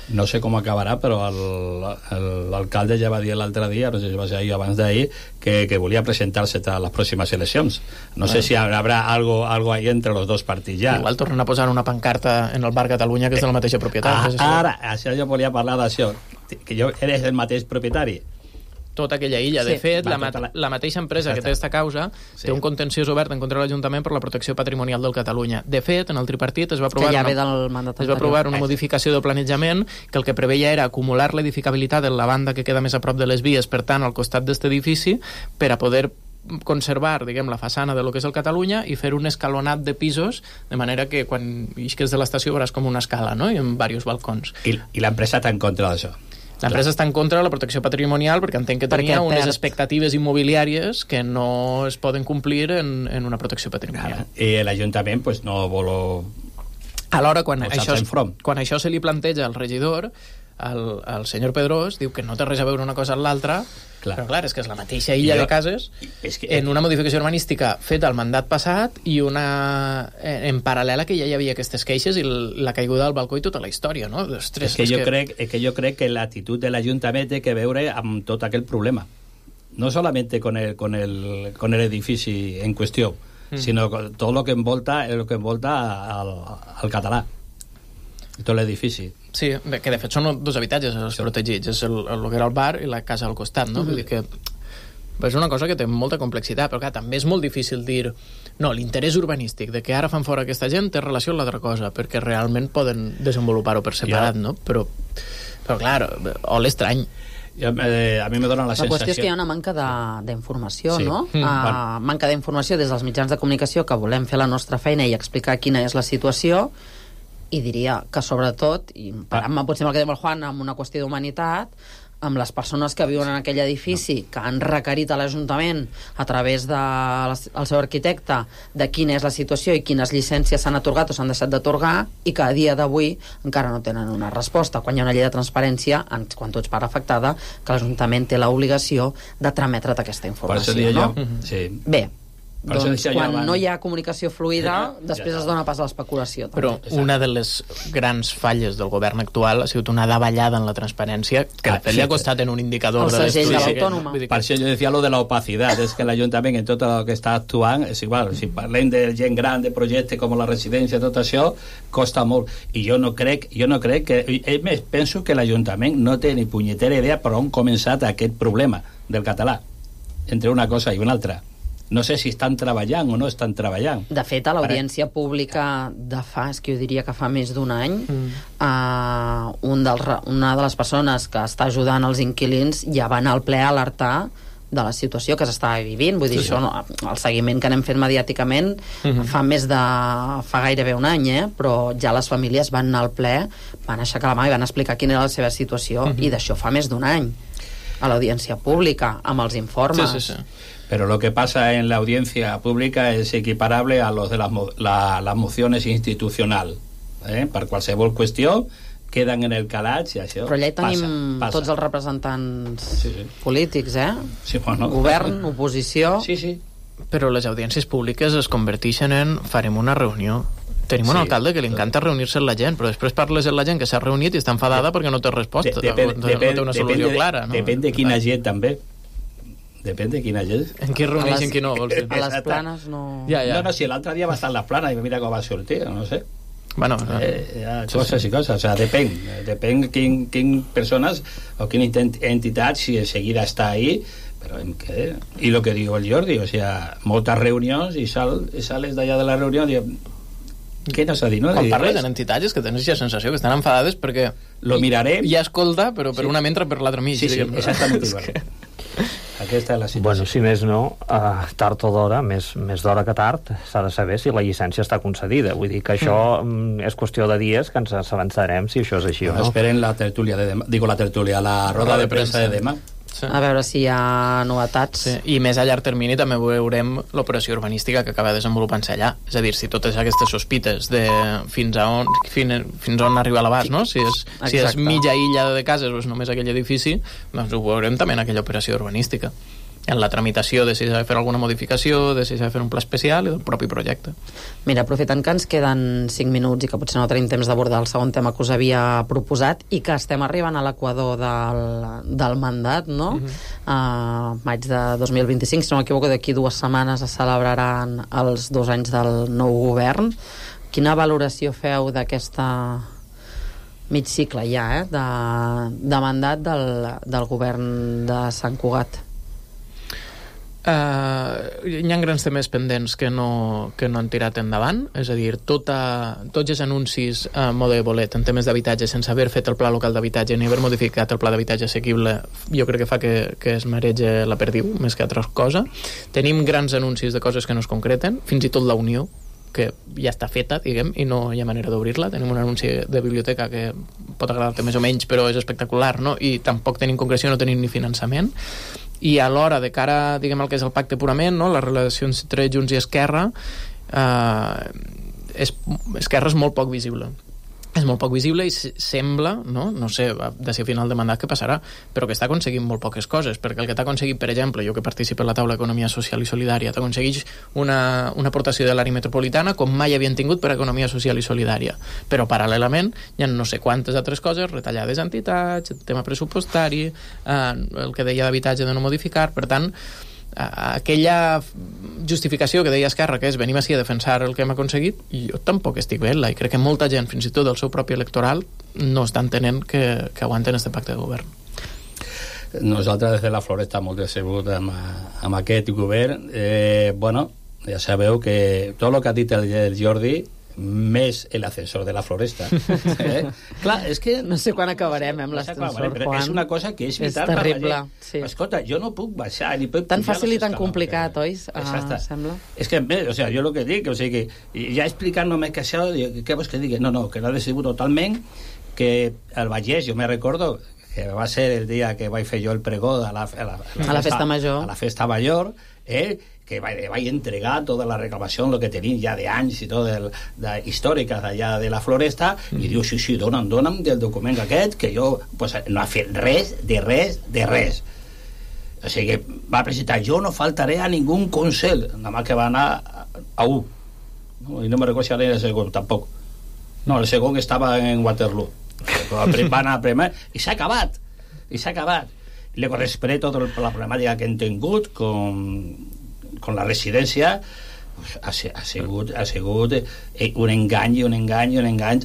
No sé com acabarà, però l'alcalde ja va dir l'altre dia, no sé si va ser ahir o abans d'ahir, que volia presentar-se a les pròximes eleccions. No sé si habrà algo ahí entre los dos partits ja. Igual tornen a posar una pancarta en el Bar Catalunya que és de la mateixa propietat. Ara, això jo volia parlar d'això, que eres el mateix propietari. Tota aquella illa. De fet, la mateixa empresa que té aquesta causa té un contenciós obert en contra de l'Ajuntament per la protecció patrimonial del Catalunya. De fet, en el tripartit es va aprovar una modificació del planejament que el que preveia era acumular l'edificabilitat en la banda que queda més a prop de les vies, per tant, al costat d'aquest edifici, per a poder conservar, diguem, la façana de lo que és el Catalunya i fer un escalonat de pisos, de manera que quan isques de l'estació veuràs com una escala, no? I amb diversos balcons. I l'empresa està en contra d'això? L'empresa està en contra de la protecció patrimonial perquè entenc que tenia unes expectatives immobiliàries que no es poden complir en una protecció patrimonial. I l'Ajuntament pues, no vol... Alhora, quan això se li planteja al regidor, el senyor Pedrós diu que no té res a veure una cosa amb l'altra, però clar, és que és la mateixa illa de cases en una modificació urbanística feta al mandat passat i una en paral·lel a que ja hi havia aquestes queixes i la caiguda del balcó i tota la història, no? Ostres, jo crec que l'actitud de l'Ajuntament té que veure amb tot aquell problema, no solamente con el edifici en qüestió, sinó tot el que envolta al català, tot l'edifici. Sí, que de fet són dos habitatges els protegits, és el que era el bar i la casa al costat, no? Vull dir que és una cosa que té molta complexitat, però clar, també és molt difícil dir no, l'interès urbanístic de que ara fan fora aquesta gent té relació amb l'altra cosa, perquè realment poden desenvolupar-ho per separat, no? Però clar, l'estrany. A mi me dona la sensació... La qüestió és que hi ha una manca d'informació, no? Manca d'informació des dels mitjans de comunicació que volem fer la nostra feina i explicar quina és la situació, i diria que sobretot, i parant-me potser amb el que diu el Juan, amb una qüestió d'humanitat, amb les persones que viuen en aquell edifici que han requerit a l'Ajuntament a través del seu arquitecte de quina és la situació i quines llicències s'han atorgat o s'han deixat d'atorgar i que a dia d'avui encara no tenen una resposta, quan hi ha una llei de transparència, quan tu ets part afectada, que l'Ajuntament té l'obligació de trametre't aquesta informació, no? Bé, doncs quan no hi ha comunicació fluida després es dona pas a l'especulació. Però una de les grans falles del govern actual ha sigut una davallada en la transparència que de fet li ha costat en un indicador de l'estudi. Per això jo decía lo de la opacidad, és que l'Ajuntament en tot el que està actuant és igual, si parlem de gent gran, de projectes com la residència, tot això costa molt, i jo no crec que, més, penso que l'Ajuntament no té ni punyetera idea per on començat aquest problema del català entre una cosa i una altra. No sé si estan treballant o no estan treballant. De fet, a l'audiència pública és que jo diria que fa més d'un any, una de les persones que està ajudant els inquilins ja va anar al ple a alertar de la situació que s'estava vivint. Vull dir, això, el seguiment que anem fent mediàticament fa gairebé un any, però ja les famílies van anar al ple, van aixecar la mà i van explicar quina era la seva situació, i d'això fa més d'un any, a l'audiència pública, amb els informes. Sí. Pero lo que pasa en la audiencia pública es equiparable a los de las mociones institucional. Per qualsevol qüestió queden en el calaix i això passa. Però allà hi tenim tots els representants polítics, Sí, bueno. Govern, oposició... Sí. Però les audiències públiques es converteixen en farem una reunió. Tenim un alcalde que li encanta reunir-se amb la gent, però després parles amb la gent que s'ha reunit i està enfadada perquè no té resposta, no té una solució clara. Depèn de quina gent, també. Depèn de quina gent. En qui reuneix i en qui no, vols dir? A les Planes no... No, si l'altre dia va estar a les Planes i mira com va sortir, no sé. Bueno, coses i coses, o sea, depèn quin persones o quina entitat si seguida està ahí, però i lo que diu el Jordi, o sea, moltes reunions i sales d'allà de la reunió i què no s'ha dit, no? Quan parles d'entitats és que tens aquesta sensació que estan enfadades perquè lo mirarem hi ha escolta, però per una mentre per l'altre mig. Sí, exactament igual. Aquesta és la situació. Bueno, si més no, tard o d'hora, més d'hora que tard, s'ha de saber si la llicència està concedida. Vull dir que això és qüestió de dies que ens avançarem si això és així o no. Esperen la tertúlia de demà, la roda de premsa de demà. Sí. A veure si hi ha novetats. Sí. I més a llarg termini també veurem l'operació urbanística que acaba desenvolupant-se allà. És a dir, si totes aquestes sospites de fins on arriba l'abast, no? Si és mitja illa de cases o és només aquell edifici, doncs ho veurem també en aquella operació urbanística. En la tramitació de si s'ha de fer alguna modificació, de si s'ha de fer un pla especial i del propi projecte. Mira, aprofitant que ens queden 5 minuts i que potser no tenim temps d'abordar el segon tema que us havia proposat i que estem arribant a l'equador del mandat, no? Maig de 2025, si no m'equivoco, d'aquí 2 setmanes es celebraran els 2 anys del nou govern. Quina valoració feu d'aquesta mig cicle ja, de mandat del govern de Sant Cugat? Hi ha grans temes pendents que no han tirat endavant, és a dir, tots els anuncis a mode de bolet en temes d'habitatge sense haver fet el pla local d'habitatge ni haver modificat el pla d'habitatge assequible, jo crec que fa que es merege la perdiu més que altra cosa. Tenim grans anuncis de coses que no es concreten, fins i tot la Unió, que ja està feta, diguem, i no hi ha manera d'obrir-la. Tenim un anunci de biblioteca que pot agradar-te més o menys, però és espectacular, no? I tampoc tenim concreció, no tenim ni finançament. I alhora, de cara, diguem, al que és el pacte purament, no? Les relacions entre Junts i Esquerra, Esquerra és molt poc visible. És molt poc visible i sembla, no sé, de si a final de mandat què passarà, però que està aconseguint molt poques coses, perquè el que t'ha aconseguit, per exemple, jo que participo en la taula d'Economia Social i Solidària, t'aconsegueix una aportació de l'àrea metropolitana com mai havien tingut per a Economia Social i Solidària, però paral·lelament hi ha no sé quantes altres coses, retallades entitats, el tema pressupostari, el que deia d'habitatge de no modificar, per tant, aquella justificació que deia Esquerra, que és venim així a defensar el que hem aconseguit, jo tampoc estic veient-la, i crec que molta gent, fins i tot del seu propi electoral, no està entenent que aguanten este pacte de govern. Nosaltres des de la Floresta molt decebut amb aquest govern. Bueno, ja sabeu que tot el que ha dit el Jordi més l'ascensor de la Floresta. Clar, és que no sé quan acabarem amb l'ascensor, Juan. És una cosa que és vital. És terrible, sí. Escolta, jo no puc baixar ni puc tan fàcil i tan complicat, oi? Sembla. És que, o sea, jo el que dic, o sigui, que ja explicant només que això, què vols que digui? No, que l'ha decebut totalment, que el Vallès, jo me recordo que va ser el dia que vaig fer jo el pregó a la festa major, que vaig entregar tota la reclamació, el que tenim ja d'anys i tot històriques d'allà de la Floresta, i diu, sí, dona'm del document aquest, que jo pues, no ha fet res. O sigui que va presentar, jo no faltaré a ningú consell, nada más que va anar a un, no? I no me recordo si era el segon, tampoc. No, el segon estava en Waterloo. Va anar a primer, i s'ha acabat. Luego després tota la problemàtica que hem tingut con la residència, pues, ha sigut un engany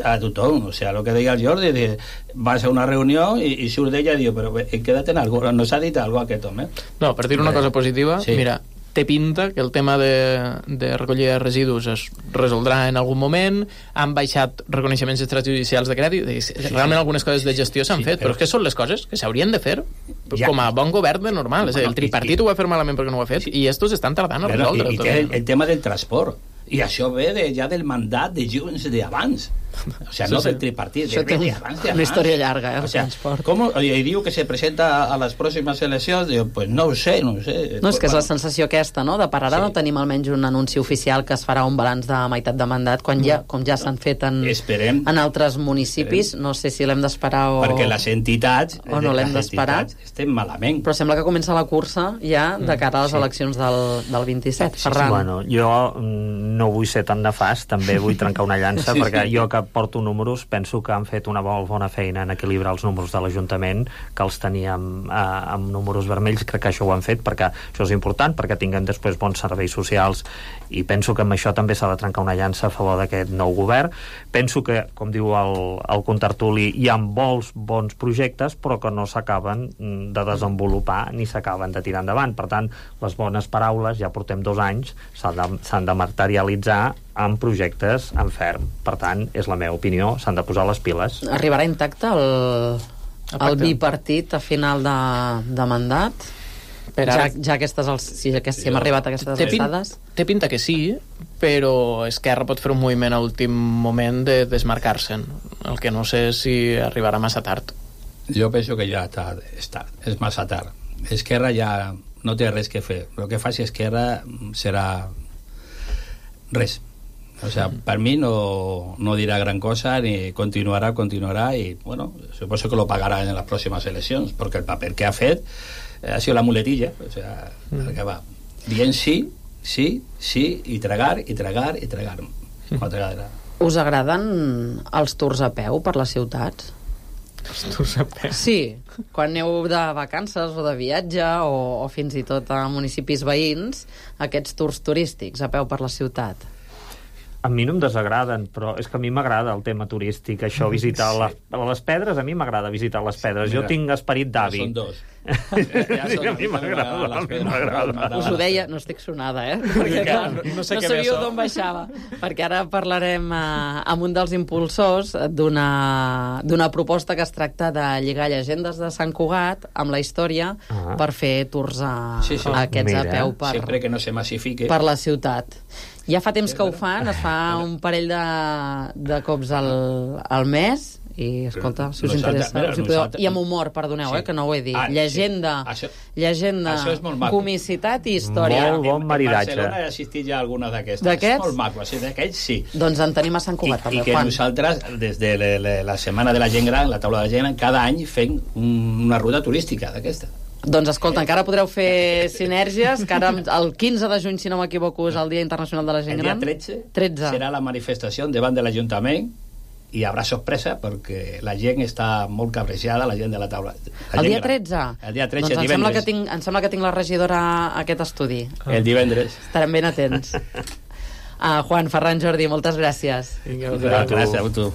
a tothom. O sea, el que deia el Jordi, va ser una reunió i surt d'ella i diu, però queda't en algo, no s'ha dit algo aquest home? No, per dir una cosa positiva, sí. Mira, té pinta que el tema de recollida de residus es resoldrà en algun moment, han baixat reconeixements extrajudicials de crèdit, realment algunes coses de gestió s'han fet, però és que són les coses que s'haurien de fer com a bon govern de normal. És a dir, el tripartit ho va fer malament perquè no ho ha fet, i estos estan tardant a resoldre. I té el tema del transport, i això ve ja del mandat de Junts d'abans. O sea, no del tripartit, de abans. Una història llarga, el transport. I diu que se presenta a les pròximes eleccions, diu, pues no ho sé. No, és que és la sensació aquesta, no? De per ara no tenim almenys un anunci oficial que es farà un balanç de meitat de mandat, quan com ja s'han fet en altres municipis. No sé si l'hem d'esperar o... Perquè les entitats... O no l'hem d'esperar. Estem malament. Però sembla que comença la cursa ja de cara a les eleccions del 27. Ferran. Bueno, jo no vull ser tan nefast, també vull trencar una llança, perquè jo que porto números, penso que han fet una molt bona feina en equilibrar els números de l'Ajuntament, que els teníem amb números vermells. Crec que això ho han fet perquè això és important, perquè tinguen després bons serveis socials, i penso que amb això també s'ha de trencar una llança a favor d'aquest nou govern. Penso que, com diu el contertuli, hi ha molts bons projectes, però que no s'acaben de desenvolupar ni s'acaben de tirar endavant. Per tant, les bones paraules, ja portem 2 anys, s'han de materialitzar en projectes en ferm. Per tant, és la meva opinió, s'han de posar les piles. Arribarà intacte el bipartit a final de mandat? Ja si hem arribat a aquestes alçades? Té pinta que sí, però Esquerra pot fer un moviment a últim moment de desmarcar-se'n. El que no sé si arribarà massa tard. Jo penso que ja és massa tard. Esquerra ja no té res que fer. El que faci Esquerra serà res. O sea, per mi no dirà gran cosa, ni continuarà, i, bueno, suposo que lo pagarà en les pròximes eleccions, perquè el paper que ha fet ha sido la muletilla, o sea, el que va dient sí, i tragar. Us agraden els tours a peu per les ciutats? Els tours a peu? Sí, quan aneu de vacances o de viatge o fins i tot a municipis veïns, aquests tours turístics a peu per la ciutat. A mi no em desagraden, però és que a mi m'agrada el tema turístic, això, visitar les pedres. A mi m'agrada visitar les pedres. Jo tinc esperit d'avi. Ja són 2. A mi m'agrada. Us ho deia, no estic sonada, perquè no sabíeu d'on baixava, perquè ara parlarem amb un dels impulsors d'una proposta que es tracta de lligar llegendes de Sant Cugat amb la història per fer tours aquests a peu sempre que no se massifique per la ciutat. Ja fa temps que ho fan, es fa un parell de cops al mes, i escolta, si us interessa, i amb humor, perdoneu, que no ho he dit, llegenda, comicitat i història. Molt bon maridatge. A Barcelona he assistit ja a alguna d'aquestes. D'aquests? Molt maco, d'aquells sí. Doncs en tenim a Sant Cugat, també. I que nosaltres, des de la Setmana de la Gent Gran, la taula de la gent gran, cada any fem una ruta turística d'aquesta. Doncs escolta, encara podreu fer sinergies, que ara el 15 de juny, si no m'equivoco, és el Dia Internacional de la Gent Gran. El dia 13 serà la manifestació davant de l'Ajuntament, i hi haurà sorpresa perquè la gent està molt cabrejada, la gent de la taula. El dia 13? El dia 13, doncs divendres. em sembla que tinc la regidora a aquest estudi. El divendres. Estarem ben atents. Juan, Ferran, Jordi, moltes gràcies. Gràcies a tu.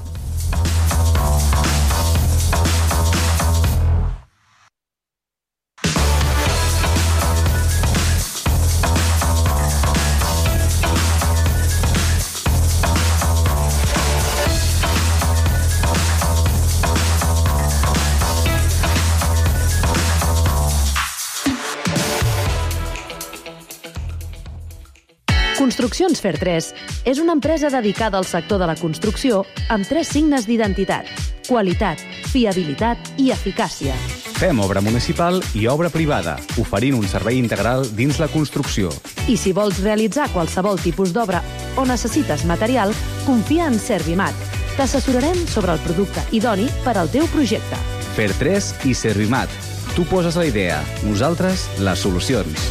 Construccions Fer3 és una empresa dedicada al sector de la construcció amb 3 signes d'identitat: qualitat, fiabilitat i eficàcia. Fem obra municipal i obra privada, oferint un servei integral dins la construcció. I si vols realitzar qualsevol tipus d'obra o necessites material, confia en Servimat. T'assessorarem sobre el producte idoni per al teu projecte. Fer3 i Servimat. Tu poses la idea, nosaltres les solucions.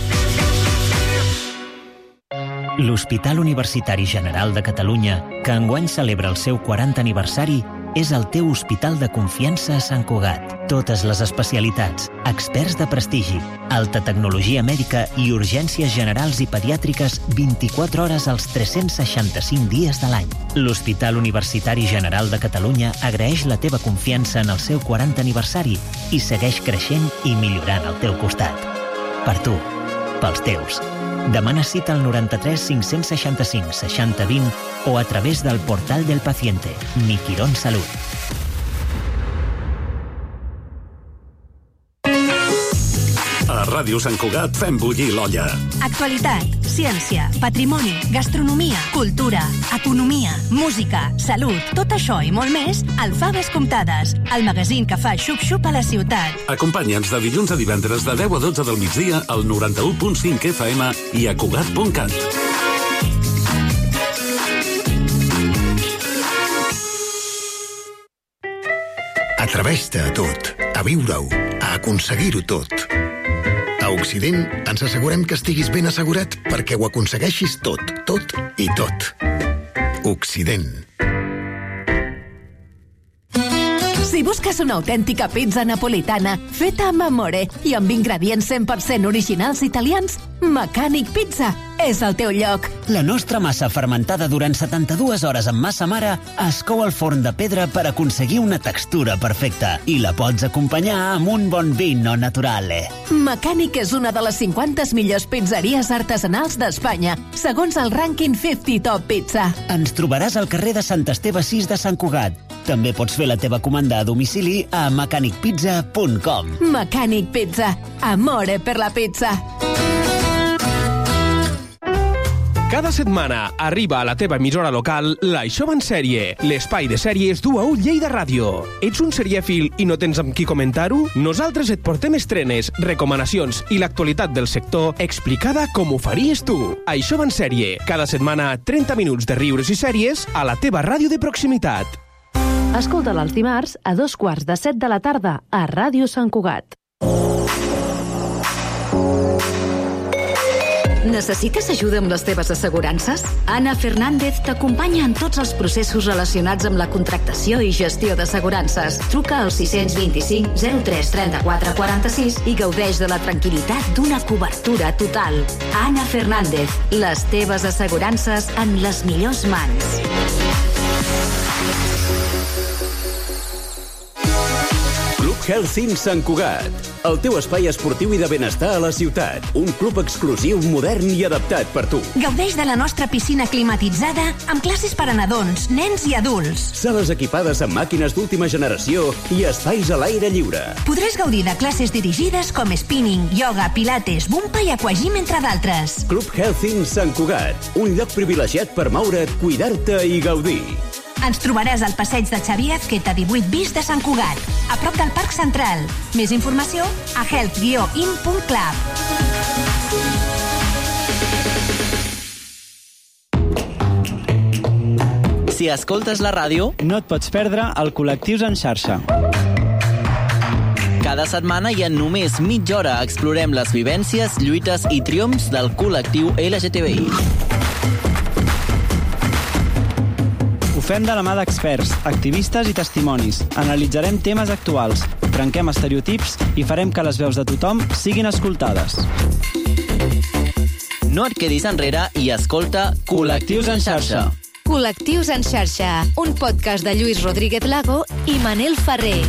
L'Hospital Universitari General de Catalunya, que enguany celebra el seu 40 aniversari, és el teu hospital de confiança a Sant Cugat. Totes les especialitats, experts de prestigi, alta tecnologia mèdica i urgències generals i pediàtriques 24 hores als 365 dies de l'any. L'Hospital Universitari General de Catalunya agraeix la teva confiança en el seu 40 aniversari i segueix creixent i millorant al teu costat. Per tu, pels teus. Demana cita al 93 565 60 20 o a través del portal del paciente. Mi Quirón Salud. A Ràdio Sant Cugat fem bullir l'olla. Actualitat, ciència, patrimoni, gastronomia, cultura, economia, música, salut, tot això i molt més al Faves Comptades, el magazín que fa xup-xup a la ciutat. Acompanya'ns de dilluns a divendres de 10 a 12 del migdia al 91.5 FM i a Cugat.cat. Atreveix-te a tot, a viure-ho, a aconseguir-ho tot. A Occident ens assegurem que estiguis ben assegurat perquè ho aconsegueixis tot, tot i tot. Occident. Si busques una autèntica pizza napolitana feta amb amore i amb ingredients 100% originals italians, Mecànic Pizza és el teu lloc. La nostra massa fermentada durant 72 hores amb massa mare es cou al forn de pedra per aconseguir una textura perfecta i la pots acompanyar amb un bon vino naturale. Mecànic és una de les 50 millors pizzeries artesanals d'Espanya, segons el rànquing 50 Top Pizza. Ens trobaràs al carrer de Sant Esteve 6 de Sant Cugat. També pots fer la teva comanda a domicili a mecanicpizza.com. Mecànic Pizza. Amore per la pizza. Cada setmana arriba a la teva emissora local l'Això va en sèrie, l'espai de sèries du a U Lleida Ràdio. Ets un serièfil i no tens amb qui comentar-ho? Nosaltres et portem estrenes, recomanacions i l'actualitat del sector explicada com ho faries tu. Això va en sèrie, cada setmana 30 minuts de riures i sèries a la teva ràdio de proximitat. Escolta'l els dimarts a 2:45 de la tarda a Ràdio Sant Cugat. Necessites ajuda amb les teves assegurances? Anna Fernández t'acompanya en tots els processos relacionats amb la contractació i gestió d'assegurances. Truca al 625 03 34 46 i gaudeix de la tranquil·litat d'una cobertura total. Anna Fernández, les teves assegurances en les millors mans. Healthing Sant Cugat, el teu espai esportiu i de benestar a la ciutat. Un club exclusiu, modern i adaptat per tu. Gaudeix de la nostra piscina climatitzada amb classes per a nadons, nens i adults. Sales equipades amb màquines d'última generació i espais a l'aire lliure. Podràs gaudir de classes dirigides com spinning, yoga, pilates, bumpa i aquagym, entre d'altres. Club Healthing Sant Cugat, un lloc privilegiat per moure't, cuidar-te i gaudir. Ens trobaràs al passeig de Xavier Azqueta 18 bis de Sant Cugat, a prop del Parc Central. Més informació a health-in.club. Si escoltes la ràdio, no et pots perdre el Col·lectius en xarxa. Cada setmana i en només mitja hora explorem les vivències, lluites i triomfs del col·lectiu LGTBI. Ho fem de la mà d'experts, activistes i testimonis. Analitzarem temes actuals, trenquem estereotips i farem que les veus de tothom siguin escoltades. No et quedis enrere i escolta Col·lectius en xarxa. Col·lectius en xarxa, un podcast de Lluís Rodríguez Lago i Manel Ferrer.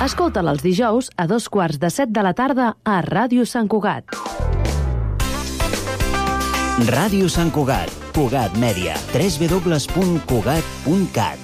Escolta'l els dijous a 2:45 de la tarda a Ràdio Sant Cugat. Ràdio Sant Cugat, Cugat Mèdia, www.cugat.cat.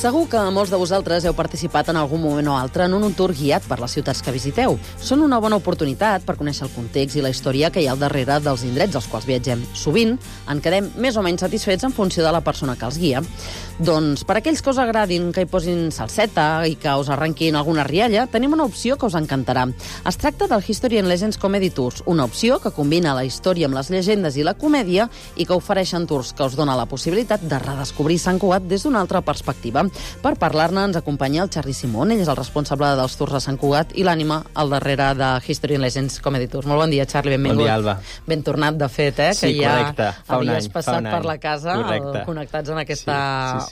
Segur que molts de vosaltres heu participat en algun moment o altre en un tour guiat per les ciutats que visiteu. Són una bona oportunitat per conèixer el context i la història que hi ha al darrere dels indrets als quals viatgem. Sovint en quedem més o menys satisfets en funció de la persona que els guia. Doncs per aquells que us agradin que hi posin salseta i que us arrenquin alguna rialla, tenim una opció que us encantarà. Es tracta del History and Legends Comedy Tours, una opció que combina la història amb les llegendes i la comèdia i que ofereixen tours que us dona la possibilitat de redescobrir Sant Cugat des d'una altra perspectiva. Per parlar-ne ens acompanya el Charly Simón, ell és el responsable dels tours a Sant Cugat i l'ànima al darrere de History and Legends Comedy Tours. Molt bon dia, Charly, benvingut. Bon dia, Alba. Ben tornat, de fet, sí, que ja correcte. havies passat per la casa, connectats en aquesta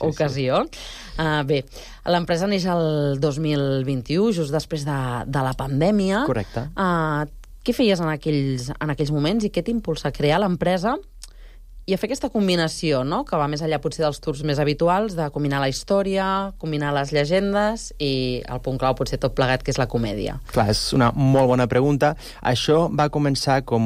ocasió. Bé, l'empresa neix el 2021, just després de la pandèmia. Correcte. Què feies en aquells moments i què t'impulsa a crear l'empresa i a fer aquesta combinació, no?, que va més enllà potser dels tours més habituals, de combinar la història, combinar les llegendes i el punt clau potser tot plegat, que és la comèdia? Clar, és una molt bona pregunta. Això va començar com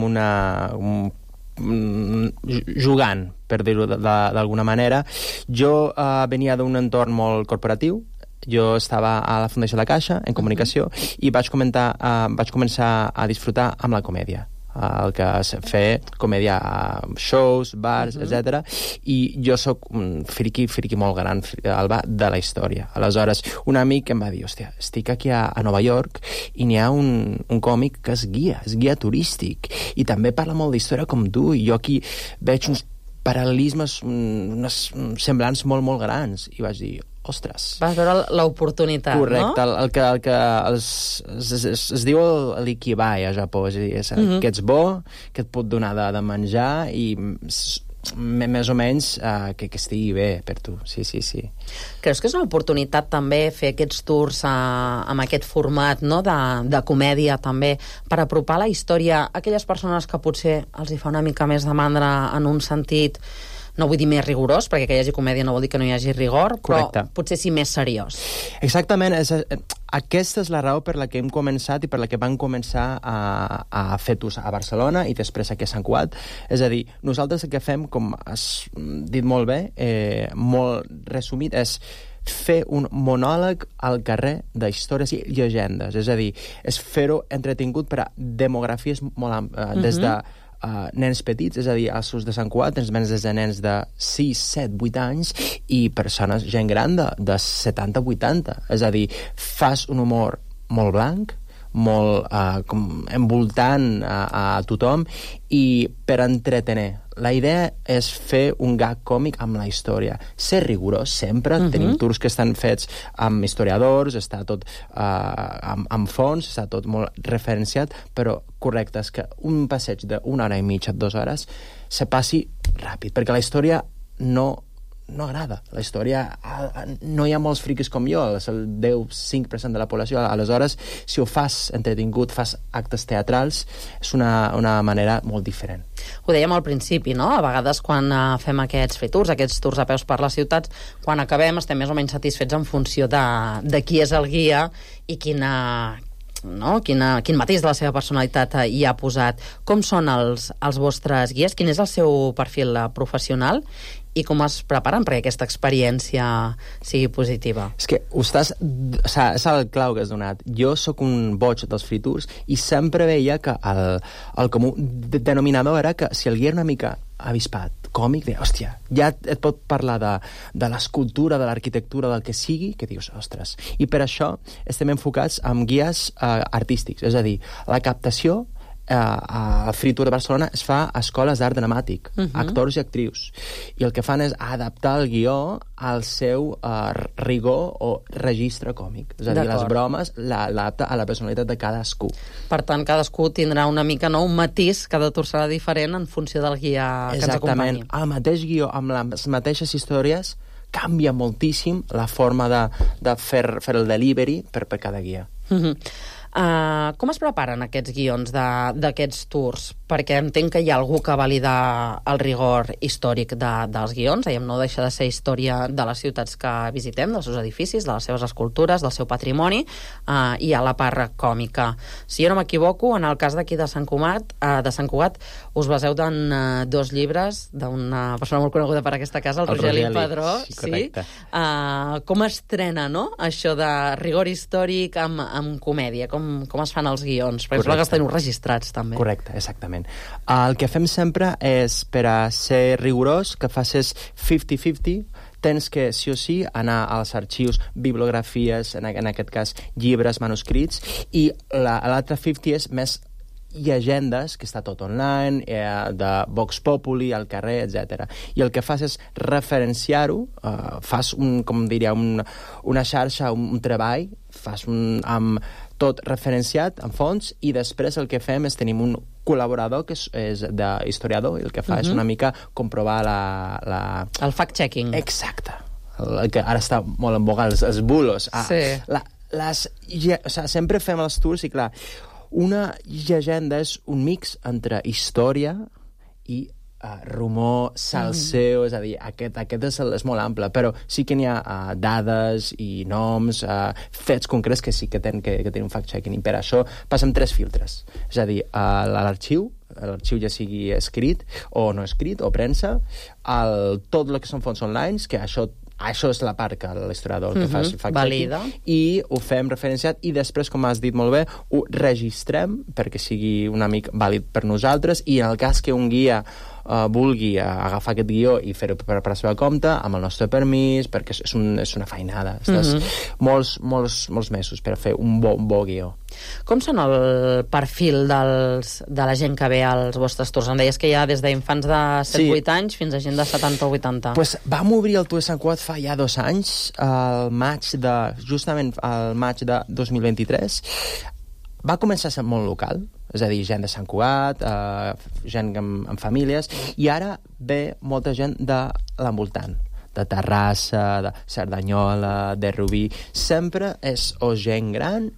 jugant, per dir-ho d'alguna manera. Jo venia d'un entorn molt corporatiu. Jo estava a la Fundació La Caixa, en comunicació, i vaig començar a disfrutar amb la comèdia. el que és fer comèdia a shows, bars, etc. I jo sóc un friqui molt gran, Alba, de la història. Aleshores, un amic em va dir, hòstia, estic aquí a Nova York i n'hi ha un còmic que és guia turístic, i també parla molt d'història com tu, i jo aquí veig uns paral·lelismes, unes semblants molt, molt grans, i vaig dir, ostres. Vas veure l'oportunitat, correcte, no? El que es diu l'ikigai a Japó, és a dir, que ets bo, que et pot donar de menjar i més o menys que estigui bé per tu, sí. Creus que és una oportunitat també fer aquests tours amb aquest format, no? de comèdia també, per apropar la història a aquelles persones que potser els hi fa una mica més de mandra en un sentit, no vull dir més rigorós, perquè que hi hagi comèdia no vol dir que no hi hagi rigor, però potser sí més seriós. Exactament, aquesta és la raó per la que hem començat i per la que vam començar a fer tours a Barcelona i després aquí a Sant Cugat. És a dir, nosaltres el que fem, com has dit molt bé, molt resumit, és fer un monòleg al carrer d'històries i llegendes. És a dir, és fer-ho entretingut per a demografies molt àmplies, des de nens petits, és a dir, als seus de Sant Cugat, des de nens de 6, 7, 8 anys i persones, gent gran de 70, 80. És a dir, fas un humor molt blanc, molt com envoltant a tothom i per entretenir. La idea és fer un gag còmic amb la història. Ser rigorós sempre. Tenim tours que estan fets amb historiadors, està tot amb fons, està tot molt referenciat, però correcte, és que un passeig d'una hora i mitja, 2 hores, se passi ràpid, perquè la història no agrada. La història, no hi ha molts friquis com jo, és el 10-5% de la població. Aleshores, si ho fas entretingut, fas actes teatrals, és una manera molt diferent. Ho dèiem al principi, no? A vegades quan fem aquests free tours, aquests tours a peus per les ciutats, quan acabem estem més o menys satisfets en funció de qui és el guia i quin matís de la seva personalitat hi ha posat. Com són els vostres guies? Quin és el seu perfil professional? I com es preparen perquè aquesta experiència sigui positiva? És que és el clau que has donat. Jo sóc un boig dels free tours i sempre veia que el comú denominador era que si el guia era una mica avispat, còmic, deia, hòstia, ja et pot parlar de l'escultura, de l'arquitectura, del que sigui, que dius, ostres. I per això estem enfocats en guies artístics, és a dir, la captació a Free Tour de Barcelona es fa a escoles d'art dramàtic, actors i actrius, i el que fan és adaptar el guió al seu rigor o registre còmic, és a dir, les bromes l'adapta a la personalitat de cadascú. Per tant, cadascú tindrà una mica un matís, cada tour serà diferent en funció del guia que ens acompanyi. Exactament, el mateix guió amb les mateixes històries canvia moltíssim la forma de fer el delivery per cada guia. Com es preparen aquests guions d'aquests tours? Perquè entenc que hi ha algú que valida el rigor històric dels guions, no deixa de ser història de les ciutats que visitem, dels seus edificis, de les seves escultures, del seu patrimoni, i a la part còmica. Si jo no m'equivoco, en el cas d'aquí de Sant Cugat, us baseu en 2 llibres d'una persona molt coneguda per aquesta casa, el Rogeli Padró. Sí. Com estrena, no?, això de rigor històric amb comèdia? Com es fan els guions? Perquè sembla que els teniu registrats, també. Correcte, exactament. El que fem sempre és, per a ser rigorós, que facis 50-50, tens que, sí o sí, anar als arxius, bibliografies, en aquest cas, llibres, manuscrits, i l'altre 50 és més llegendes, que està tot online, de Vox Populi, al carrer, etc. I el que fas és referenciar-ho, fas, com diria, una xarxa, un treball, fas amb tot referenciat en fons, i després el que fem és tenim un col·laborador que és d'historiador, i el que fa és una mica comprovar el fact-checking. Exacte. El que ara està molt en boga, els bulos. Sí. Sempre fem els tours i, clar, una llegenda és un mix entre història i rumor, salseo, és a dir, aquest és molt ample, però sí que n'hi ha dades i noms, fets concrets que sí que tenen un fact-checking, i per això passem 3 filtres. És a dir, l'arxiu ja sigui escrit o no escrit, o premsa, tot el que són fonts online, que això això és la part que l'historiador que fa valida. I ho fem referenciat i després, com has dit molt bé, ho registrem perquè sigui una mica vàlid per nosaltres i en el cas que un guia vulgui agafar aquest guió i fer-ho per la seva compte, amb el nostre permís, perquè és una feinada. Estàs molts mesos per fer un bon guió. Com són el perfil de la gent que ve als vostres tours? Em deies que hi ha des d'infants de 7-8 anys fins a gent de 70 o 80. Pues vam obrir el Tour de Sant Cugat fa ja 2 anys, justament al maig de 2023. Va començar a ser molt local, és a dir, gent de Sant Cugat, gent amb famílies, i ara ve molta gent de l'envoltant, de Terrassa, de Cerdanyola, de Rubí. Sempre és o gent gran,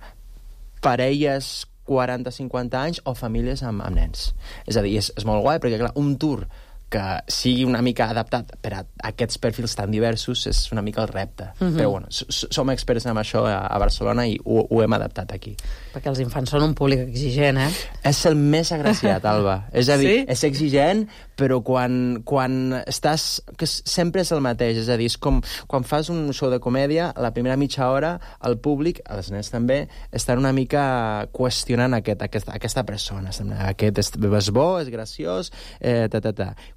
parelles 40-50 anys o famílies amb nens. És a dir, és molt guai, perquè clar, un tour que sigui una mica adaptat per a aquests perfils tan diversos és una mica el repte. Però bueno, som experts en això a Barcelona i ho hem adaptat aquí. Perquè els infants són un públic exigent, eh? És el més agraciat, Alba. És a dir, és exigent, però quan estàs... que sempre és el mateix, és a dir, és com quan fas un show de comèdia, la primera mitja hora, el públic, els nens també, estan una mica qüestionant aquesta persona. Aquest és bo, és graciós,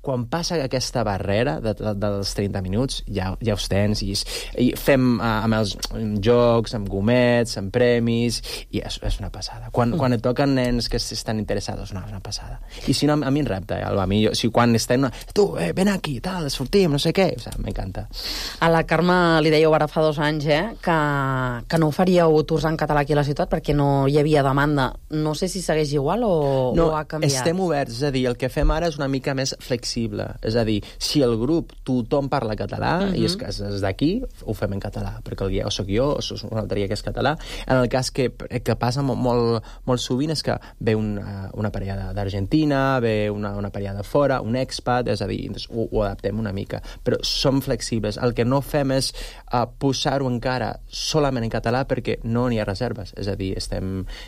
Quan passa aquesta barrera dels 30 minuts, ja us tens, i fem amb els jocs, amb gomets, amb premis, i és una passada. Quan et toquen nens que estan interessats, és una passada. I si no, a mi em repta, Alba. Si quan estem... Tu, ven aquí, tal, sortim, no sé què... O sigui, m'encanta. A la Carme li dèieu ara fa 2 anys, que no faríeu tours en català aquí a la ciutat perquè no hi havia demanda. No sé si segueix igual o ha canviat. No, estem oberts. És a dir, el que fem ara és una mica més flexible. És a dir, si el grup tothom parla català i és d'aquí, ho fem en català, perquè el guia o soc jo o és un altre guia que és català. En el cas que passa molt sovint és que ve una parella d'Argentina, ve una parella de fora, un expat, és a dir, ho adaptem una mica. Però som flexibles. El que no fem és posar-ho encara solament en català perquè no n'hi ha reserves. És a dir,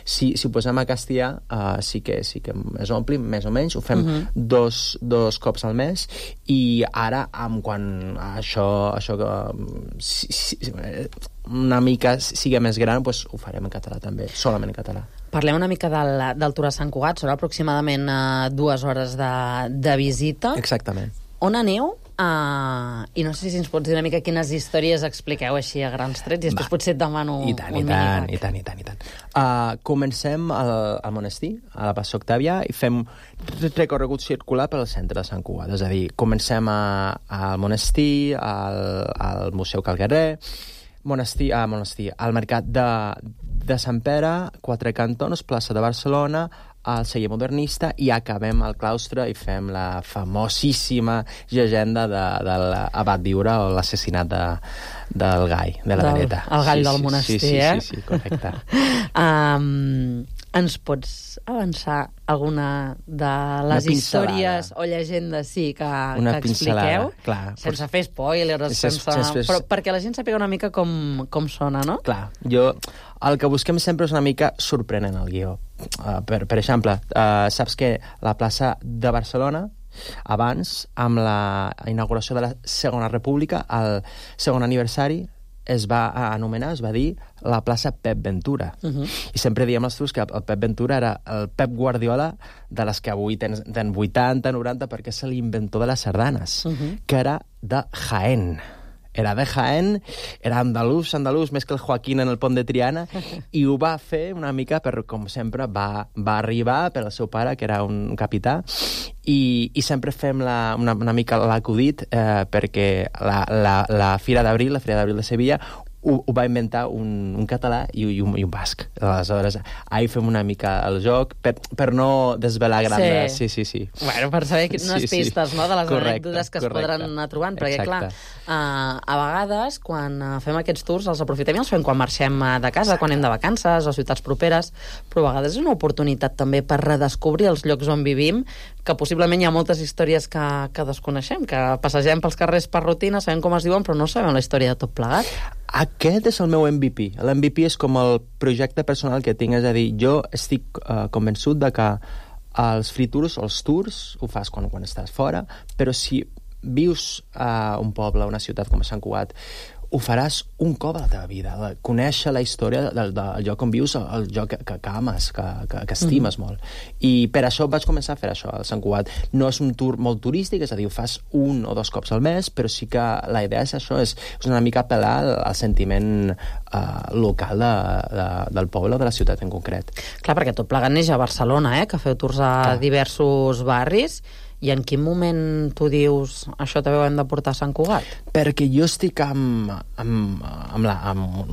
si ho posem a castellà, sí que es ompli, més o menys. Ho fem dos cops al mes i ara, quan això una mica sigui més gran, doncs ho farem en català també, solament en català. Parlem una mica del Tour a Sant Cugat, són aproximadament 2 hores de visita. Exactament. On aneu? I no sé si ens pots dir una mica quines històries expliqueu així a grans trets i després potser et demano I tant. Comencem al monestir, a la Plaça Octàvia, i fem recorregut circular pel centre de Sant Cugat. És a dir, comencem al monestir, al Museu Calguerrer, al Mercat de Sant Pere, Quatre Cantons, plaça de Barcelona, al celler modernista, i acabem al claustre i fem la famosíssima llegenda de l'Abat Viure o l'assassinat del Gai, de la Veneta. El Gall del monestir, Sí, correcte. Ens pots avançar alguna de les històries o llegendes que expliqueu? Clar, sense fer spoilers, però perquè la gent sàpiga una mica com sona, no? Clar, el que busquem sempre és una mica sorprenent el guió. Per exemple, saps que la plaça de Barcelona, abans, amb la inauguració de la Segona República, el segon aniversari, es va anomenar, es va dir, la plaça Pep Ventura. I sempre diem als tours que el Pep Ventura era el Pep Guardiola de les que avui tenen 80, 90, perquè és l'inventor de les sardanes, que era de Jaén. Era de Jaén, era andalús, més que el Joaquín en el pont de Triana, i ho va fer una mica com sempre va arribar per al seu pare, que era un capità, i sempre fem una mica l'acudit perquè la Fira d'Abril, la Fira d'Abril de Sevilla, ho va inventar un català i un basc. Aleshores, ahir fem una mica el joc per no desvelar grandes... Sí. Bueno, per saber unes pistes, no?, de les anècdotes que es podran anar trobant, perquè, clar, a vegades, quan fem aquests tours, els aprofitem i els fem quan marxem de casa, quan anem de vacances o ciutats properes, però a vegades és una oportunitat també per redescobrir els llocs on vivim, que possiblement hi ha moltes històries que desconeixem, que passegem pels carrers per rutina, sabem com es diuen, però no sabem la història de tot plegat. Aquest és el meu MVP. L'MVP és com el projecte personal que tinc, és a dir, jo estic convençut de que els free tours o els tours ho fas quan estàs fora, però si vius a un poble, a una ciutat com a Sant Cugat, ho faràs un cop a la teva vida, conèixer la història del lloc on vius, el lloc que ames, que estimes molt. I per això vaig començar a fer això, al Sant Cugat. No és un tour molt turístic, és a dir, ho fas 1 o 2 cops al mes, però sí que la idea és això, és una mica apel·lar al sentiment local del poble o de la ciutat en concret. Clar, perquè tot plegat neix a Barcelona, que feu tours a diversos barris. I en quin moment tu dius això també ho hem de portar a Sant Cugat? Perquè jo estic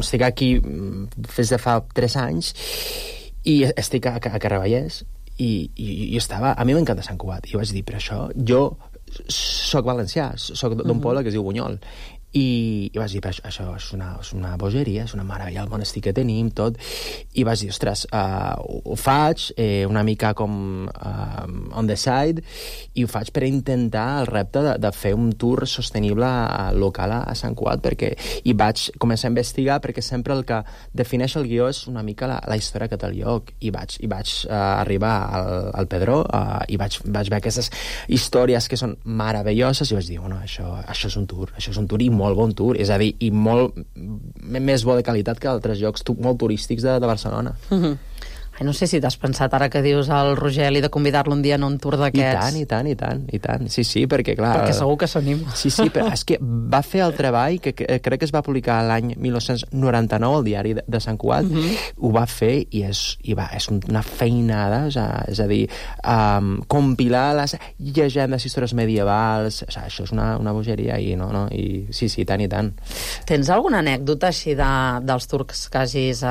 estic aquí des de fa 3 anys i estic a Carraballers i estava... A mi m'encanta Sant Cugat. I vaig dir, però això... Jo soc valencià, soc d'un poble que es diu Bunyol. I vaig dir, això és una bogeria, és una meravella, el monestir que tenim, tot. I vaig dir, ostres, ho faig una mica com on the side, i ho faig per intentar el repte de fer un tour sostenible local a Sant Cugat, i vaig començar a investigar, perquè sempre el que defineix el guió és una mica la història que té el lloc. I vaig arribar al Pedró i vaig veure aquestes històries que són meravelloses, i vaig dir, bueno, això és un tour i molt bon tour, és a dir, i molt més bo de qualitat que altres llocs molt turístics de Barcelona. Ai, no sé si t'has pensat ara que dius al Rogeli de convidar-lo un dia en un tour d'aquests. I tant. Sí, perquè clar... Perquè segur que s'anima. Sí, però és que va fer el treball que crec que es va publicar l'any 1999 al diari de Sant Cugat. Ho va fer i és una feinada, és a dir, compilar les llegendes, històries medievals, això és una bogeria i sí, tant i tant. Tens alguna anècdota així dels tours que hagis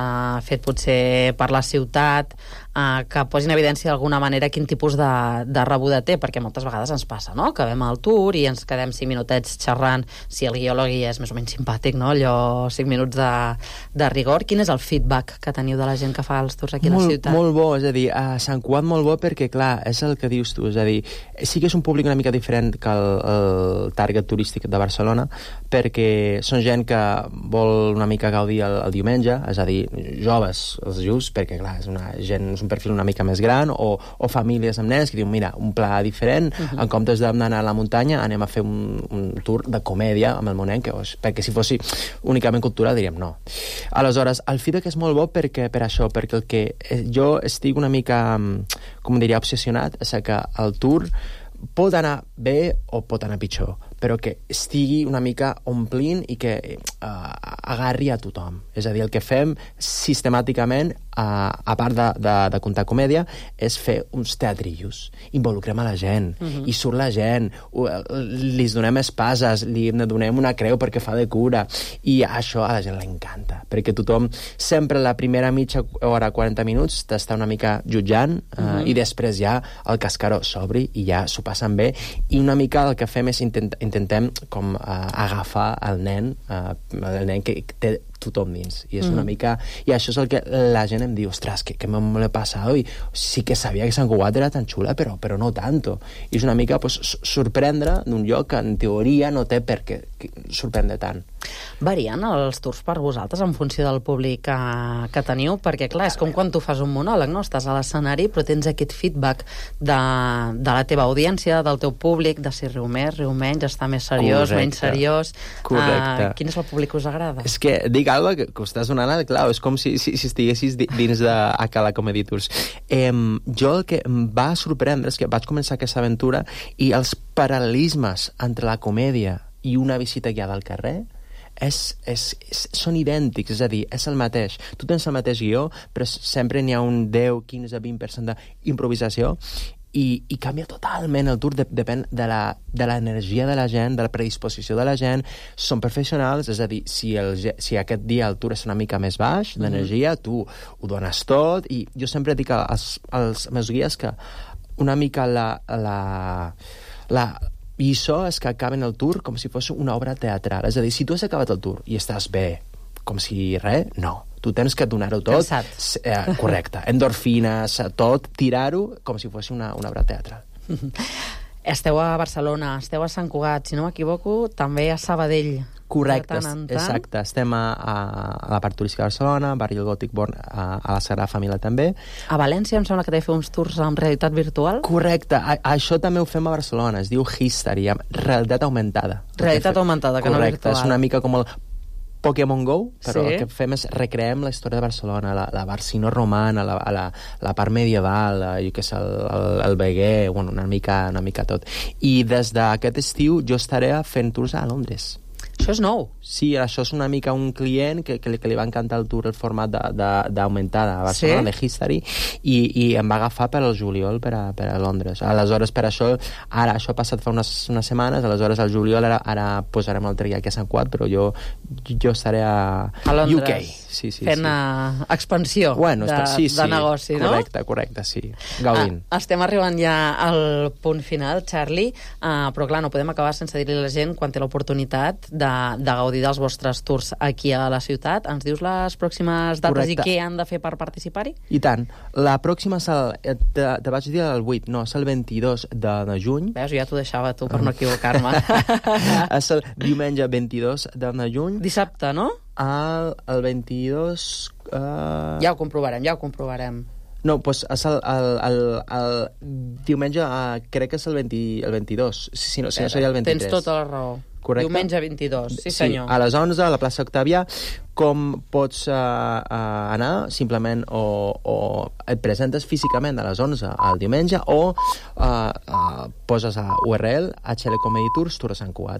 fet potser per la ciutat, que posin en evidència d'alguna manera quin tipus de rebuda té, perquè moltes vegades ens passa, no?, que vam al tour i ens quedem 5 minutets xerrant, si el guió és més o menys simpàtic, no?, allò 5 minuts de rigor. Quin és el feedback que teniu de la gent que fa els tours aquí a la ciutat? Molt bo, és a dir, a Sant Cugat molt bo perquè, clar, és el que dius tu, és a dir, sí que és un públic una mica diferent que el target turístic de Barcelona, perquè són gent que vol una mica gaudir el diumenge, és a dir, joves, els just, perquè, clar, és un perfil una mica més gran, o famílies amb nens que diuen, mira, un pla diferent, en comptes d'anar a la muntanya anem a fer un tour de comèdia amb el Monenc, perquè si fos únicament cultural diríem no. Aleshores, el feedback és molt bo perquè el que jo estic una mica, com diria, obsessionat, és que el tour pot anar bé o pot anar pitjor, però que estigui una mica omplint i que agarri a tothom. És a dir, el que fem sistemàticament, a part de contar comèdia, és fer uns teatrillos. Involucrem a la gent, i surt la gent, li donem espases, li donem una creu perquè fa de cura, i això a la gent l'encanta, perquè tothom, sempre la primera mitja hora, 40 minuts, t'està una mica jutjant, i després ja el cascaró s'obri i ja s'ho passen bé, i una mica el que fem és intentem com agafar el nen que té tothom dins, i és una mica, i això és el que la gent em diu, ostres, que me l'he passat, i sí que sabia que Sant Cugat era tan xula, però no tanto, i és una mica sorprendre d'un lloc que en teoria no té per què sorprendre tant. Varien els tours per vosaltres en funció del públic que teniu? Perquè, clar, és com quan tu fas un monòleg, no? Estàs a l'escenari, però tens aquest feedback de la teva audiència, del teu públic, de si riu més, riu menys, està més seriós, menys seriós. Correcte. Quin és el públic que us agrada? És que dic alguna cosa que ho estàs donant, clar, és com si estiguessis dins de Cala Comedy Tours. Jo el que em va sorprendre és que vaig començar aquesta aventura i els paral·lelismes entre la comèdia i una visita guiada al carrer són idèntics, és a dir, és el mateix. Tu tens el mateix guió, però sempre n'hi ha un 10, 15, 20% d'improvisació, i canvia totalment el tour, depèn de l'energia de la gent, de la predisposició de la gent. Són professionals, és a dir, si aquest dia el tour és una mica més baix d'energia, tu ho dones tot, i jo sempre dic als meus guies que una mica i això és que acaben el tour com si fos una obra teatral. És a dir, si tu has acabat el tour i estàs bé, com si res, no. Tu tens que donar-ho tot. Correcte. Endorfines, tot, tirar-ho com si fos una obra teatral. Esteu a Barcelona, esteu a Sant Cugat, si no m'equivoco, també a Sabadell. Correcte, exacte. Estem a la part turística de Barcelona, Barri del Gòtic Born, a la Sagrada Família també. A València em sembla que t'he fet uns tours amb realitat virtual. Correcte, això també ho fem a Barcelona, es diu History, amb realitat augmentada. Realitat augmentada, que no virtual. Correcte, és una mica com el Pokémon Go, però el que fem és recreem la història de Barcelona, la Barcino romana, la part medieval, jo què sé, el Veguer, bueno, una mica tot. I des d'aquest estiu jo estaré fent tours a Londres. Això és nou. Sí, això és una mica un client que li va encantar el tour, el format d'augmentada a Barcelona, de History, i em va agafar per al juliol per a Londres. Aleshores, per això, ara, això ha passat fa unes setmanes, aleshores al juliol ara posarem el triac a Sant Cugat, però jo estaré a Londres, UK. Fent expansió de negoci, no? Correcte, sí. Gaudint. Estem arribant ja al punt final, Charlie, però clar, no podem acabar sense dir-li a la gent quan té l'oportunitat de gaudir dels vostres tours aquí a la ciutat. Ens dius les pròximes dates i què han de fer per participar-hi? I tant. La pròxima te vaig dir el 8, no, és el 22 de juny. Veus, ja t'ho deixava tu per no equivocar-me. És el diumenge 22 de juny. Dissabte, no? El 22... Ja ho comprovarem. No, doncs és el diumenge, crec que és el 22. Si no seria el 23. Tens tota la raó. Correcte. Diumenge 22, sí senyor. A les 11 a la plaça Octavià. Com pots anar? Simplement o et presentes físicament a les 11 el diumenge o poses a URL HL Comedy Tours, Tour a Sant Cugat.